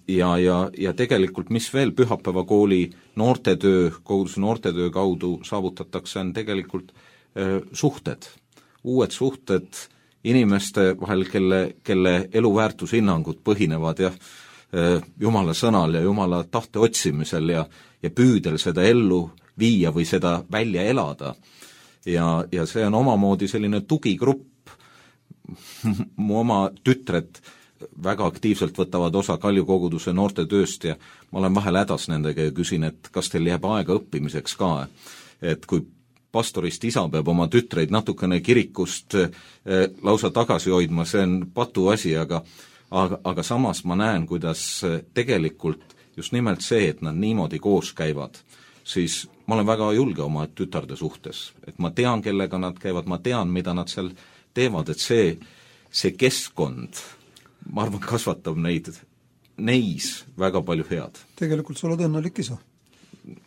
ja, ja, ja tegelikult mis veel pühapäevakooli noortetöö, koguduse noortetöö kaudu saavutatakse, on tegelikult suhted, uued suhted inimeste vahel, kelle, kelle eluväärtushinnangud põhinevad jah, Jumala sõnal ja Jumala tahte otsimisel ja, ja püüdel seda ellu viia või seda välja elada. Ja, ja see on omamoodi selline tugigrupp. Mu oma tütred väga aktiivselt võtavad osa Kalju koguduse noortetööst ja ma olen vahel hädas nendega ja küsin, et kas teil jääb aega õppimiseks ka. Et kui pastorist isa peab oma tütreid natukene kirikust eh, lausa tagasi hoidma, see on patu asi, aga, aga, aga samas ma näen, kuidas tegelikult just nimelt see, et nad niimoodi koos käivad, siis ma olen väga julge oma tütarde suhtes, et ma tean, kellega nad käivad, ma tean, mida nad seal teevad, et see, see keskkond, ma arvan, kasvatab neid, neis väga palju head. Tegelikult sa oled õnnelik isa.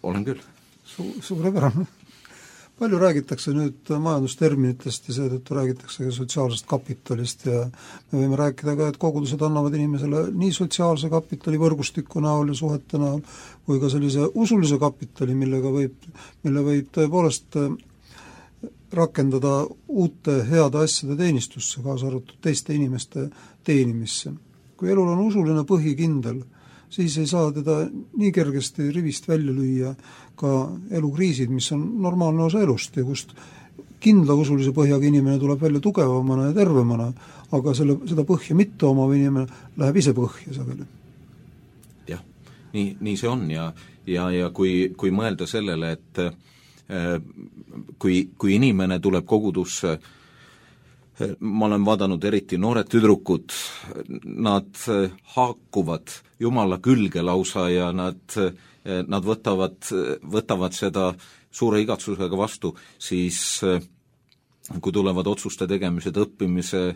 Olen küll. Su, suurepärane. Palju räägitakse nüüd majandusterminitest ja seetõttu räägitakse ka sotsiaalsest kapitalist ja me võime rääkida ka, et kogudused annavad inimesele nii sotsiaalse kapitali võrgustiku näol ja suhete näol kui ka sellise usulise kapitali, millega võib, mille võib tõepoolest rakendada uute heade asjade teenistusse, kaasa arvatud teiste inimeste teenimisse. Kui elul on usuline põhikindel, siis ei saa teda nii kergesti rivist välja lüüa ka elukriisid, mis on normaalne osa elust ja kust kindla usulise põhjaga inimene tuleb välja tugevamana ja tervemana, aga selle, seda põhja mitte omav inimene läheb ise põhja sageli. Jah, nii, nii see on ja, ja, ja kui, kui mõelda sellele, et äh, kui, kui inimene tuleb kogudusse, ma olen vaadanud eriti noored tüdrukud, nad haakuvad Jumala külge lausa ja nad, nad võtavad, võtavad seda suure igatsusega vastu, siis kui tulevad otsuste tegemised, õppimise,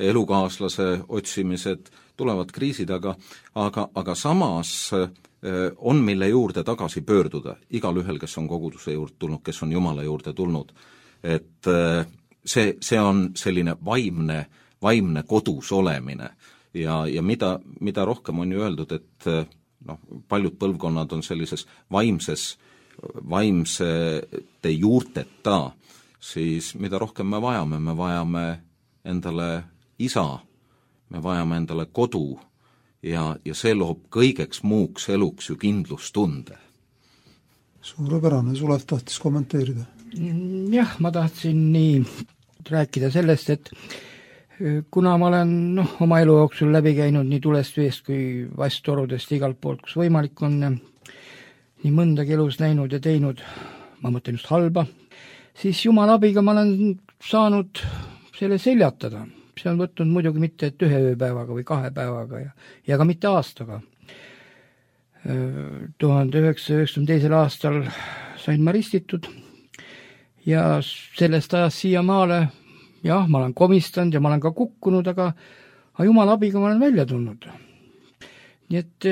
elukaaslase otsimised, tulevad kriisid, aga, aga, aga samas on mille juurde tagasi pöörduda, igal ühel, kes on koguduse juurde tulnud, kes on Jumala juurde tulnud, et see, see on selline vaimne, vaimne kodus olemine ja, ja mida, mida rohkem on ju öeldud, et noh, paljud põlvkonnad on sellises vaimses, vaimsete juurteta, siis mida rohkem me vajame, me vajame endale isa, me vajame endale kodu ja, ja see loob kõigeks muuks eluks ju kindlustunde. Suurepärane, Sulev tahtis kommenteerida. Jah, ma tahtsin nii rääkida sellest, et kuna ma olen noh, oma elu jooksul läbi käinud nii tulest veest kui vasttorudest igalt poolt, kus võimalik on nii mõndagi elus näinud ja teinud, ma mõtlen just halba, siis Jumala abiga ma olen saanud selle seljatada. See on võtnud muidugi mitte et ühe ööpäevaga või kahe päevaga ja, ja ka mitte aastaga. tuhande üheksasaja üheksakümne teisel aastal sain ma ristitud ja sellest ajast siia maale, jah, ma olen komistanud ja ma olen ka kukkunud, aga, aga jumala abiga ma olen välja tulnud. Nii et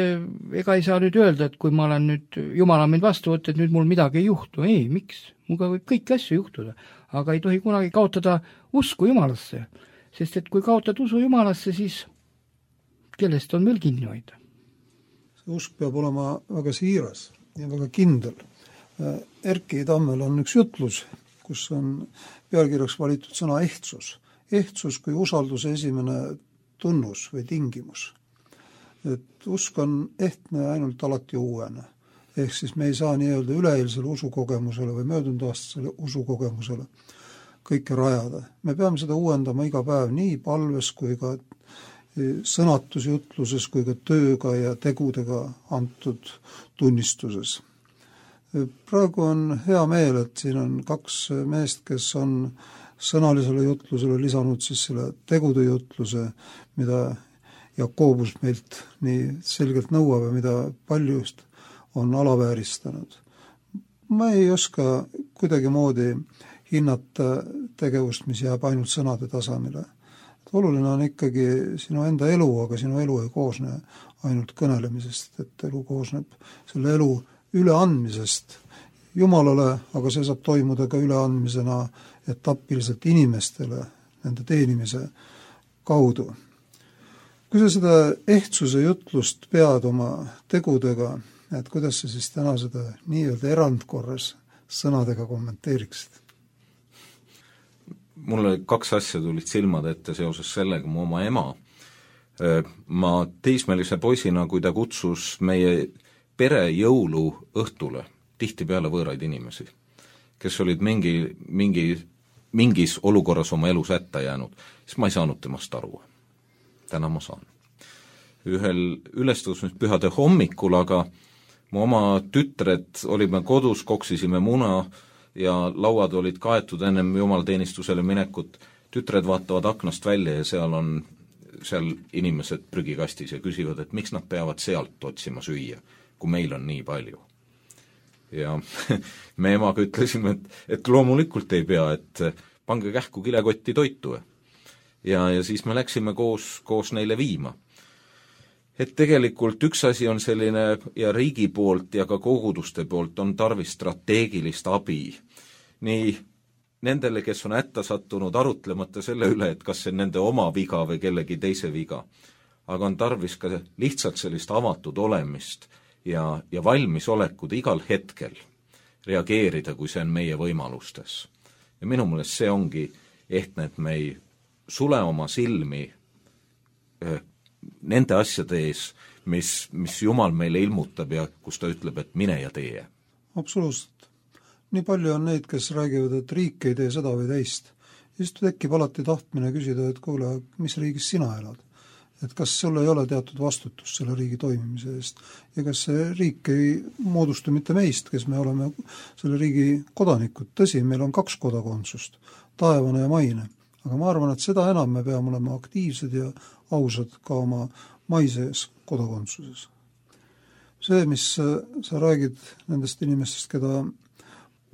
ega ei saa nüüd öelda, et kui ma olen nüüd, jumal on mind vastu võtta, et nüüd mul midagi ei juhtu. Ei, miks? Muga võib kõiki asju juhtuda, aga ei tohi kunagi kaotada usku jumalasse, sest et kui kaotad usu jumalasse, siis kellest on veel kinni hoida? See usk peab olema väga siiras ja väga kindel. Erki Tammel on üks jutlus, kus on pealkirjaks valitud sõna ehtsus. Ehtsus kui usalduse esimene tunnus või tingimus. Et usk on ehtne ainult alati uuene. Ehk siis me ei saa nii-öelda üleeilsele usukogemusele või möödunud aastasele usukogemusele kõike rajada. Me peame seda uuendama iga päev nii palves kui ka sõnatusjutluses kui ka tööga ja tegudega antud tunnistuses. Praegu on hea meel, et siin on kaks meest, kes on sõnalisele jutlusele lisanud siis selle tegude jutluse, mida Jakobus meilt nii selgelt nõuab ja mida paljust on alavääristanud. Ma ei oska kuidagi moodi hinnata tegevust, mis jääb ainult sõnade tasamile. Oluline on ikkagi sinu enda elu, aga sinu elu ei koosne ainult kõnelemisest, et elu koosneb selle elu üleandmisest Jumalale, aga see saab toimuda ka üleandmisena etapiliselt inimestele, nende teenimise kaudu. Kui sa seda ehtsuse jutlust pead oma tegudega, et kuidas sa siis täna seda nii-öelda erandkorras sõnadega kommenteeriksid? Mulle kaks asja tulid silmad ette seoses sellega, mu oma ema. Ma teismelise poisina, kui ta kutsus meie pere jõulu õhtule, tihti peale võõraid inimesi, kes olid mingi, mingi, mingis olukorras oma elus ätta jäänud, siis ma ei saanud temast aru. Täna ma saan. Ühel ülestõusmispühade hommikul, aga mu oma tütred olime kodus, koksisime muna ja lauad olid kaetud ennem jumalateenistusele minekut. Tütred vaatavad aknast välja ja seal on seal inimesed prügikastis ja küsivad, et miks nad peavad sealt otsima süüa, kui meil on nii palju. Ja me emaga ütlesime, et, et loomulikult ei pea, et pange kähku kilekotti toitu. Ja, ja siis me läksime koos, koos neile viima. Et tegelikult üks asi on selline ja riigi poolt ja ka koguduste poolt on tarvis strateegilist abi. Nii nendele, kes on ätta sattunud arutlemata selle üle, et kas see on nende oma viga või kellegi teise viga. Aga on tarvis ka lihtsalt sellist avatud olemist ja, ja valmisolekud igal hetkel reageerida, kui see on meie võimalustes. Ja minu meelest see ongi ehtne, et me ei sule oma silmi eh, nende asjade ees, mis, mis Jumal meile ilmutab ja kus ta ütleb, et mine ja tee. Absoluutselt. Nii palju on neid, kes räägivad, et riik ei tee seda või teist. Ja siis tekib alati tahtmine küsida, et kuule, mis riigis sina elad? Et kas sul ei ole teatud vastutus selle riigi toimimise eest ja kas see riik ei moodustu mitte meist, kes me oleme selle riigi kodanikud. Tõsi, meil on kaks kodakondsust, taevane ja maine. Aga ma arvan, et seda enam me peame olema aktiivsed ja ausad ka oma maises kodakondsuses. See, mis sa räägid nendest inimestest, keda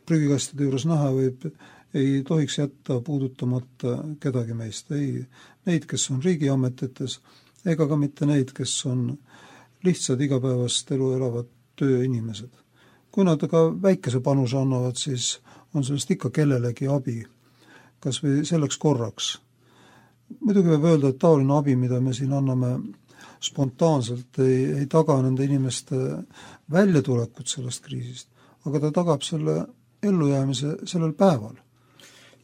prügikastide juures näha võib, ei tohiks jätta puudutamata kedagi meist. Ei neid, kes on riigiametites, ega ka mitte neid, kes on lihtsad igapäevast elu elavad tööinimesed. Kui nad ka väikese panuse annavad, siis on sellest ikka kellelegi abi. Kas või selleks korraks. Muidugi võib öelda, et taoline abi, mida me siin anname spontaanselt, ei, ei taga nende inimeste väljatulekut sellest kriisist, aga ta tagab selle ellujäämise sellel päeval.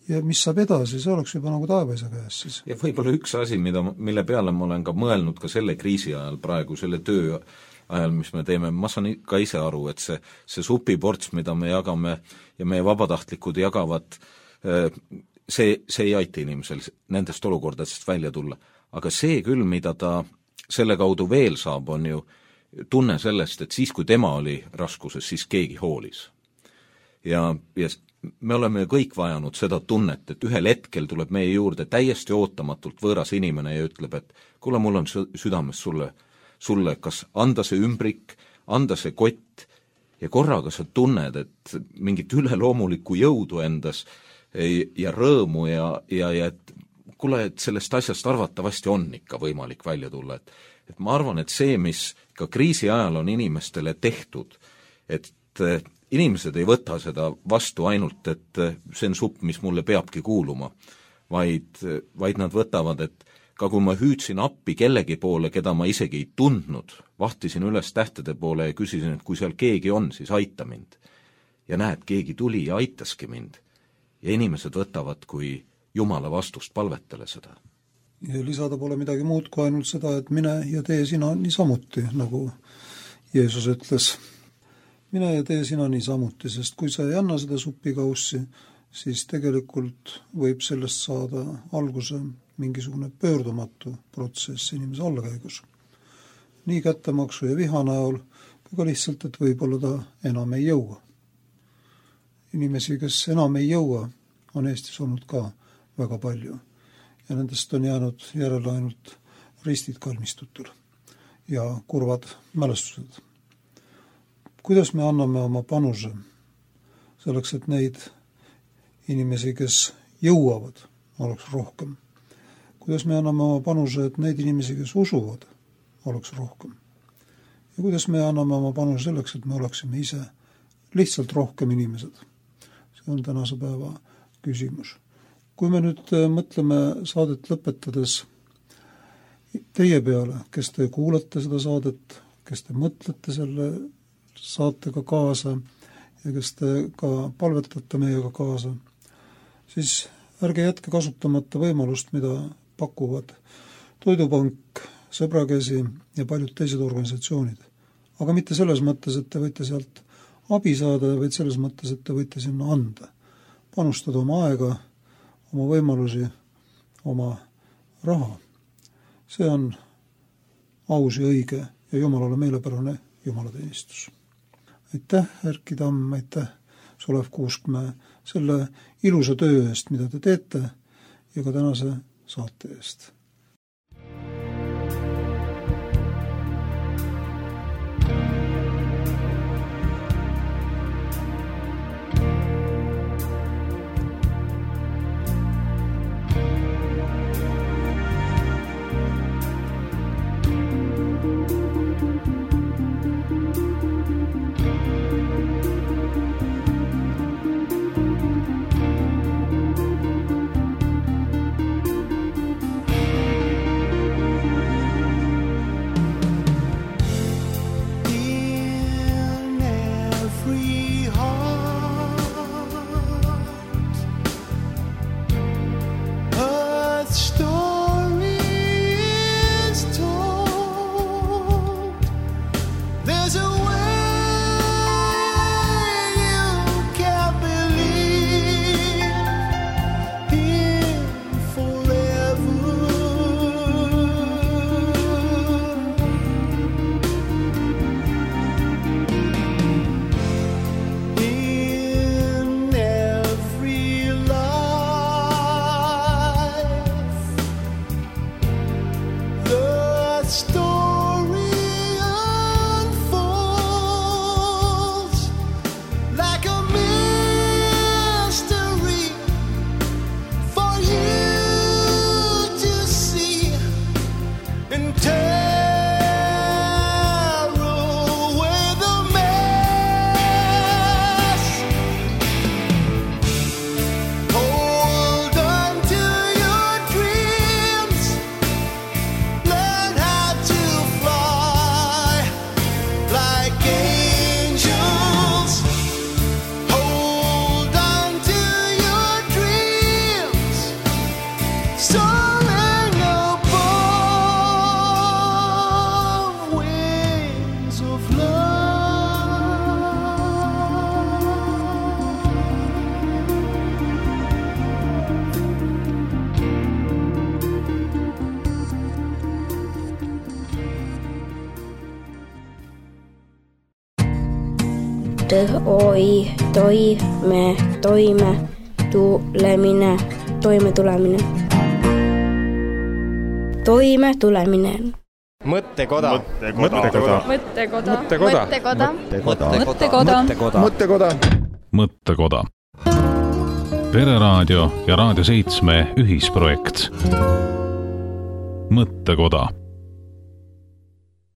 Ja mis saab edasi, see oleks juba nagu taevaisa käes siis. Ja võib-olla üks asi, mida, mille peale ma olen ka mõelnud ka selle kriisi ajal praegu, selle töö ajal, mis me teeme, ma saan ka ise aru, et see, see supiports, mida me jagame ja meie vabatahtlikud jagavad, see, see ei aita inimesel nendest olukordadest välja tulla. Aga see küll, mida ta selle kaudu veel saab, on ju tunne sellest, et siis, kui tema oli raskuses, siis keegi hoolis. Ja, ja me oleme kõik vajanud seda tunnet, et ühel hetkel tuleb meie juurde täiesti ootamatult võõras inimene ja ütleb, et kuule, mul on südames sulle, sulle kas anda see ümbrik, anda see kott ja korraga sa tunned, et mingit üleloomulikku jõudu endas ja rõõmu ja, ja, ja et kuule, et sellest asjast arvatavasti on ikka võimalik välja tulla, et, et ma arvan, et see, mis ka kriisi ajal on inimestele tehtud, et inimesed ei võta seda vastu ainult, et see on supp, mis mulle peabki kuuluma, vaid, vaid nad võtavad, et ka kui ma hüüdsin appi kellegi poole, keda ma isegi ei tundnud, vahtisin üles tähtede poole ja küsisin, et kui seal keegi on, siis aita mind. Ja näed, keegi tuli ja aitaski mind. Ja inimesed võtavad kui Jumala vastust palvetele seda. Ja lisada pole midagi muud kui ainult seda, et mine ja tee sina niisamuti, nagu Jeesus ütles. Mine ja tee sina niisamuti, sest kui sa ei anna seda supikaussi, siis tegelikult võib sellest saada alguse mingisugune pöördumatu protsess inimese allakäigus. Nii kättemaksu ja viha näol, aga lihtsalt, et võib-olla ta enam ei jõua. Inimesi, kes enam ei jõua, on Eestis olnud ka väga palju. Ja nendest on jäänud järele ainult ristid kalmistutul ja kurvad mälestused. Kuidas me anname oma panuse selleks, et neid inimesi, kes jõuavad, oleks rohkem? Kuidas me anname oma panuse, et neid inimesi, kes usuvad, oleks rohkem? Ja kuidas me anname oma panuse selleks, et me oleksime ise lihtsalt rohkem inimesed? See on tänase päeva küsimus. Kui me nüüd mõtleme saadet lõpetades teie peale, kes te kuulate seda saadet, kes te mõtlete selle saatega kaasa ja kes te ka palvetate meiega kaasa, siis ärge jätke kasutamata võimalust, mida pakuvad Toidupank, Sõbrakäsi ja paljud teised organisatsioonid. Aga mitte selles mõttes, et te võite sealt abi saada, vaid selles mõttes, et te võite sinna anda. Panustada oma aega, oma võimalusi, oma raha. See on aus ja õige ja Jumalale meelepärane Jumalateenistus. Aitäh, Erki Tamm, aitäh, Solev Kuuskmäe, selle ilusa töö eest, mida te teete ja ka tänase saate eest. T-O-I, toi, me, toime, tulemine, toime tulemine. Toime tulemine. mõttekoda. mõttekoda. mõttekoda. mõttekoda. mõttekoda. mõttekoda. mõttekoda. mõttekoda. Pereraadio ja Raadio seitsme ühisprojekt Mõttekoda.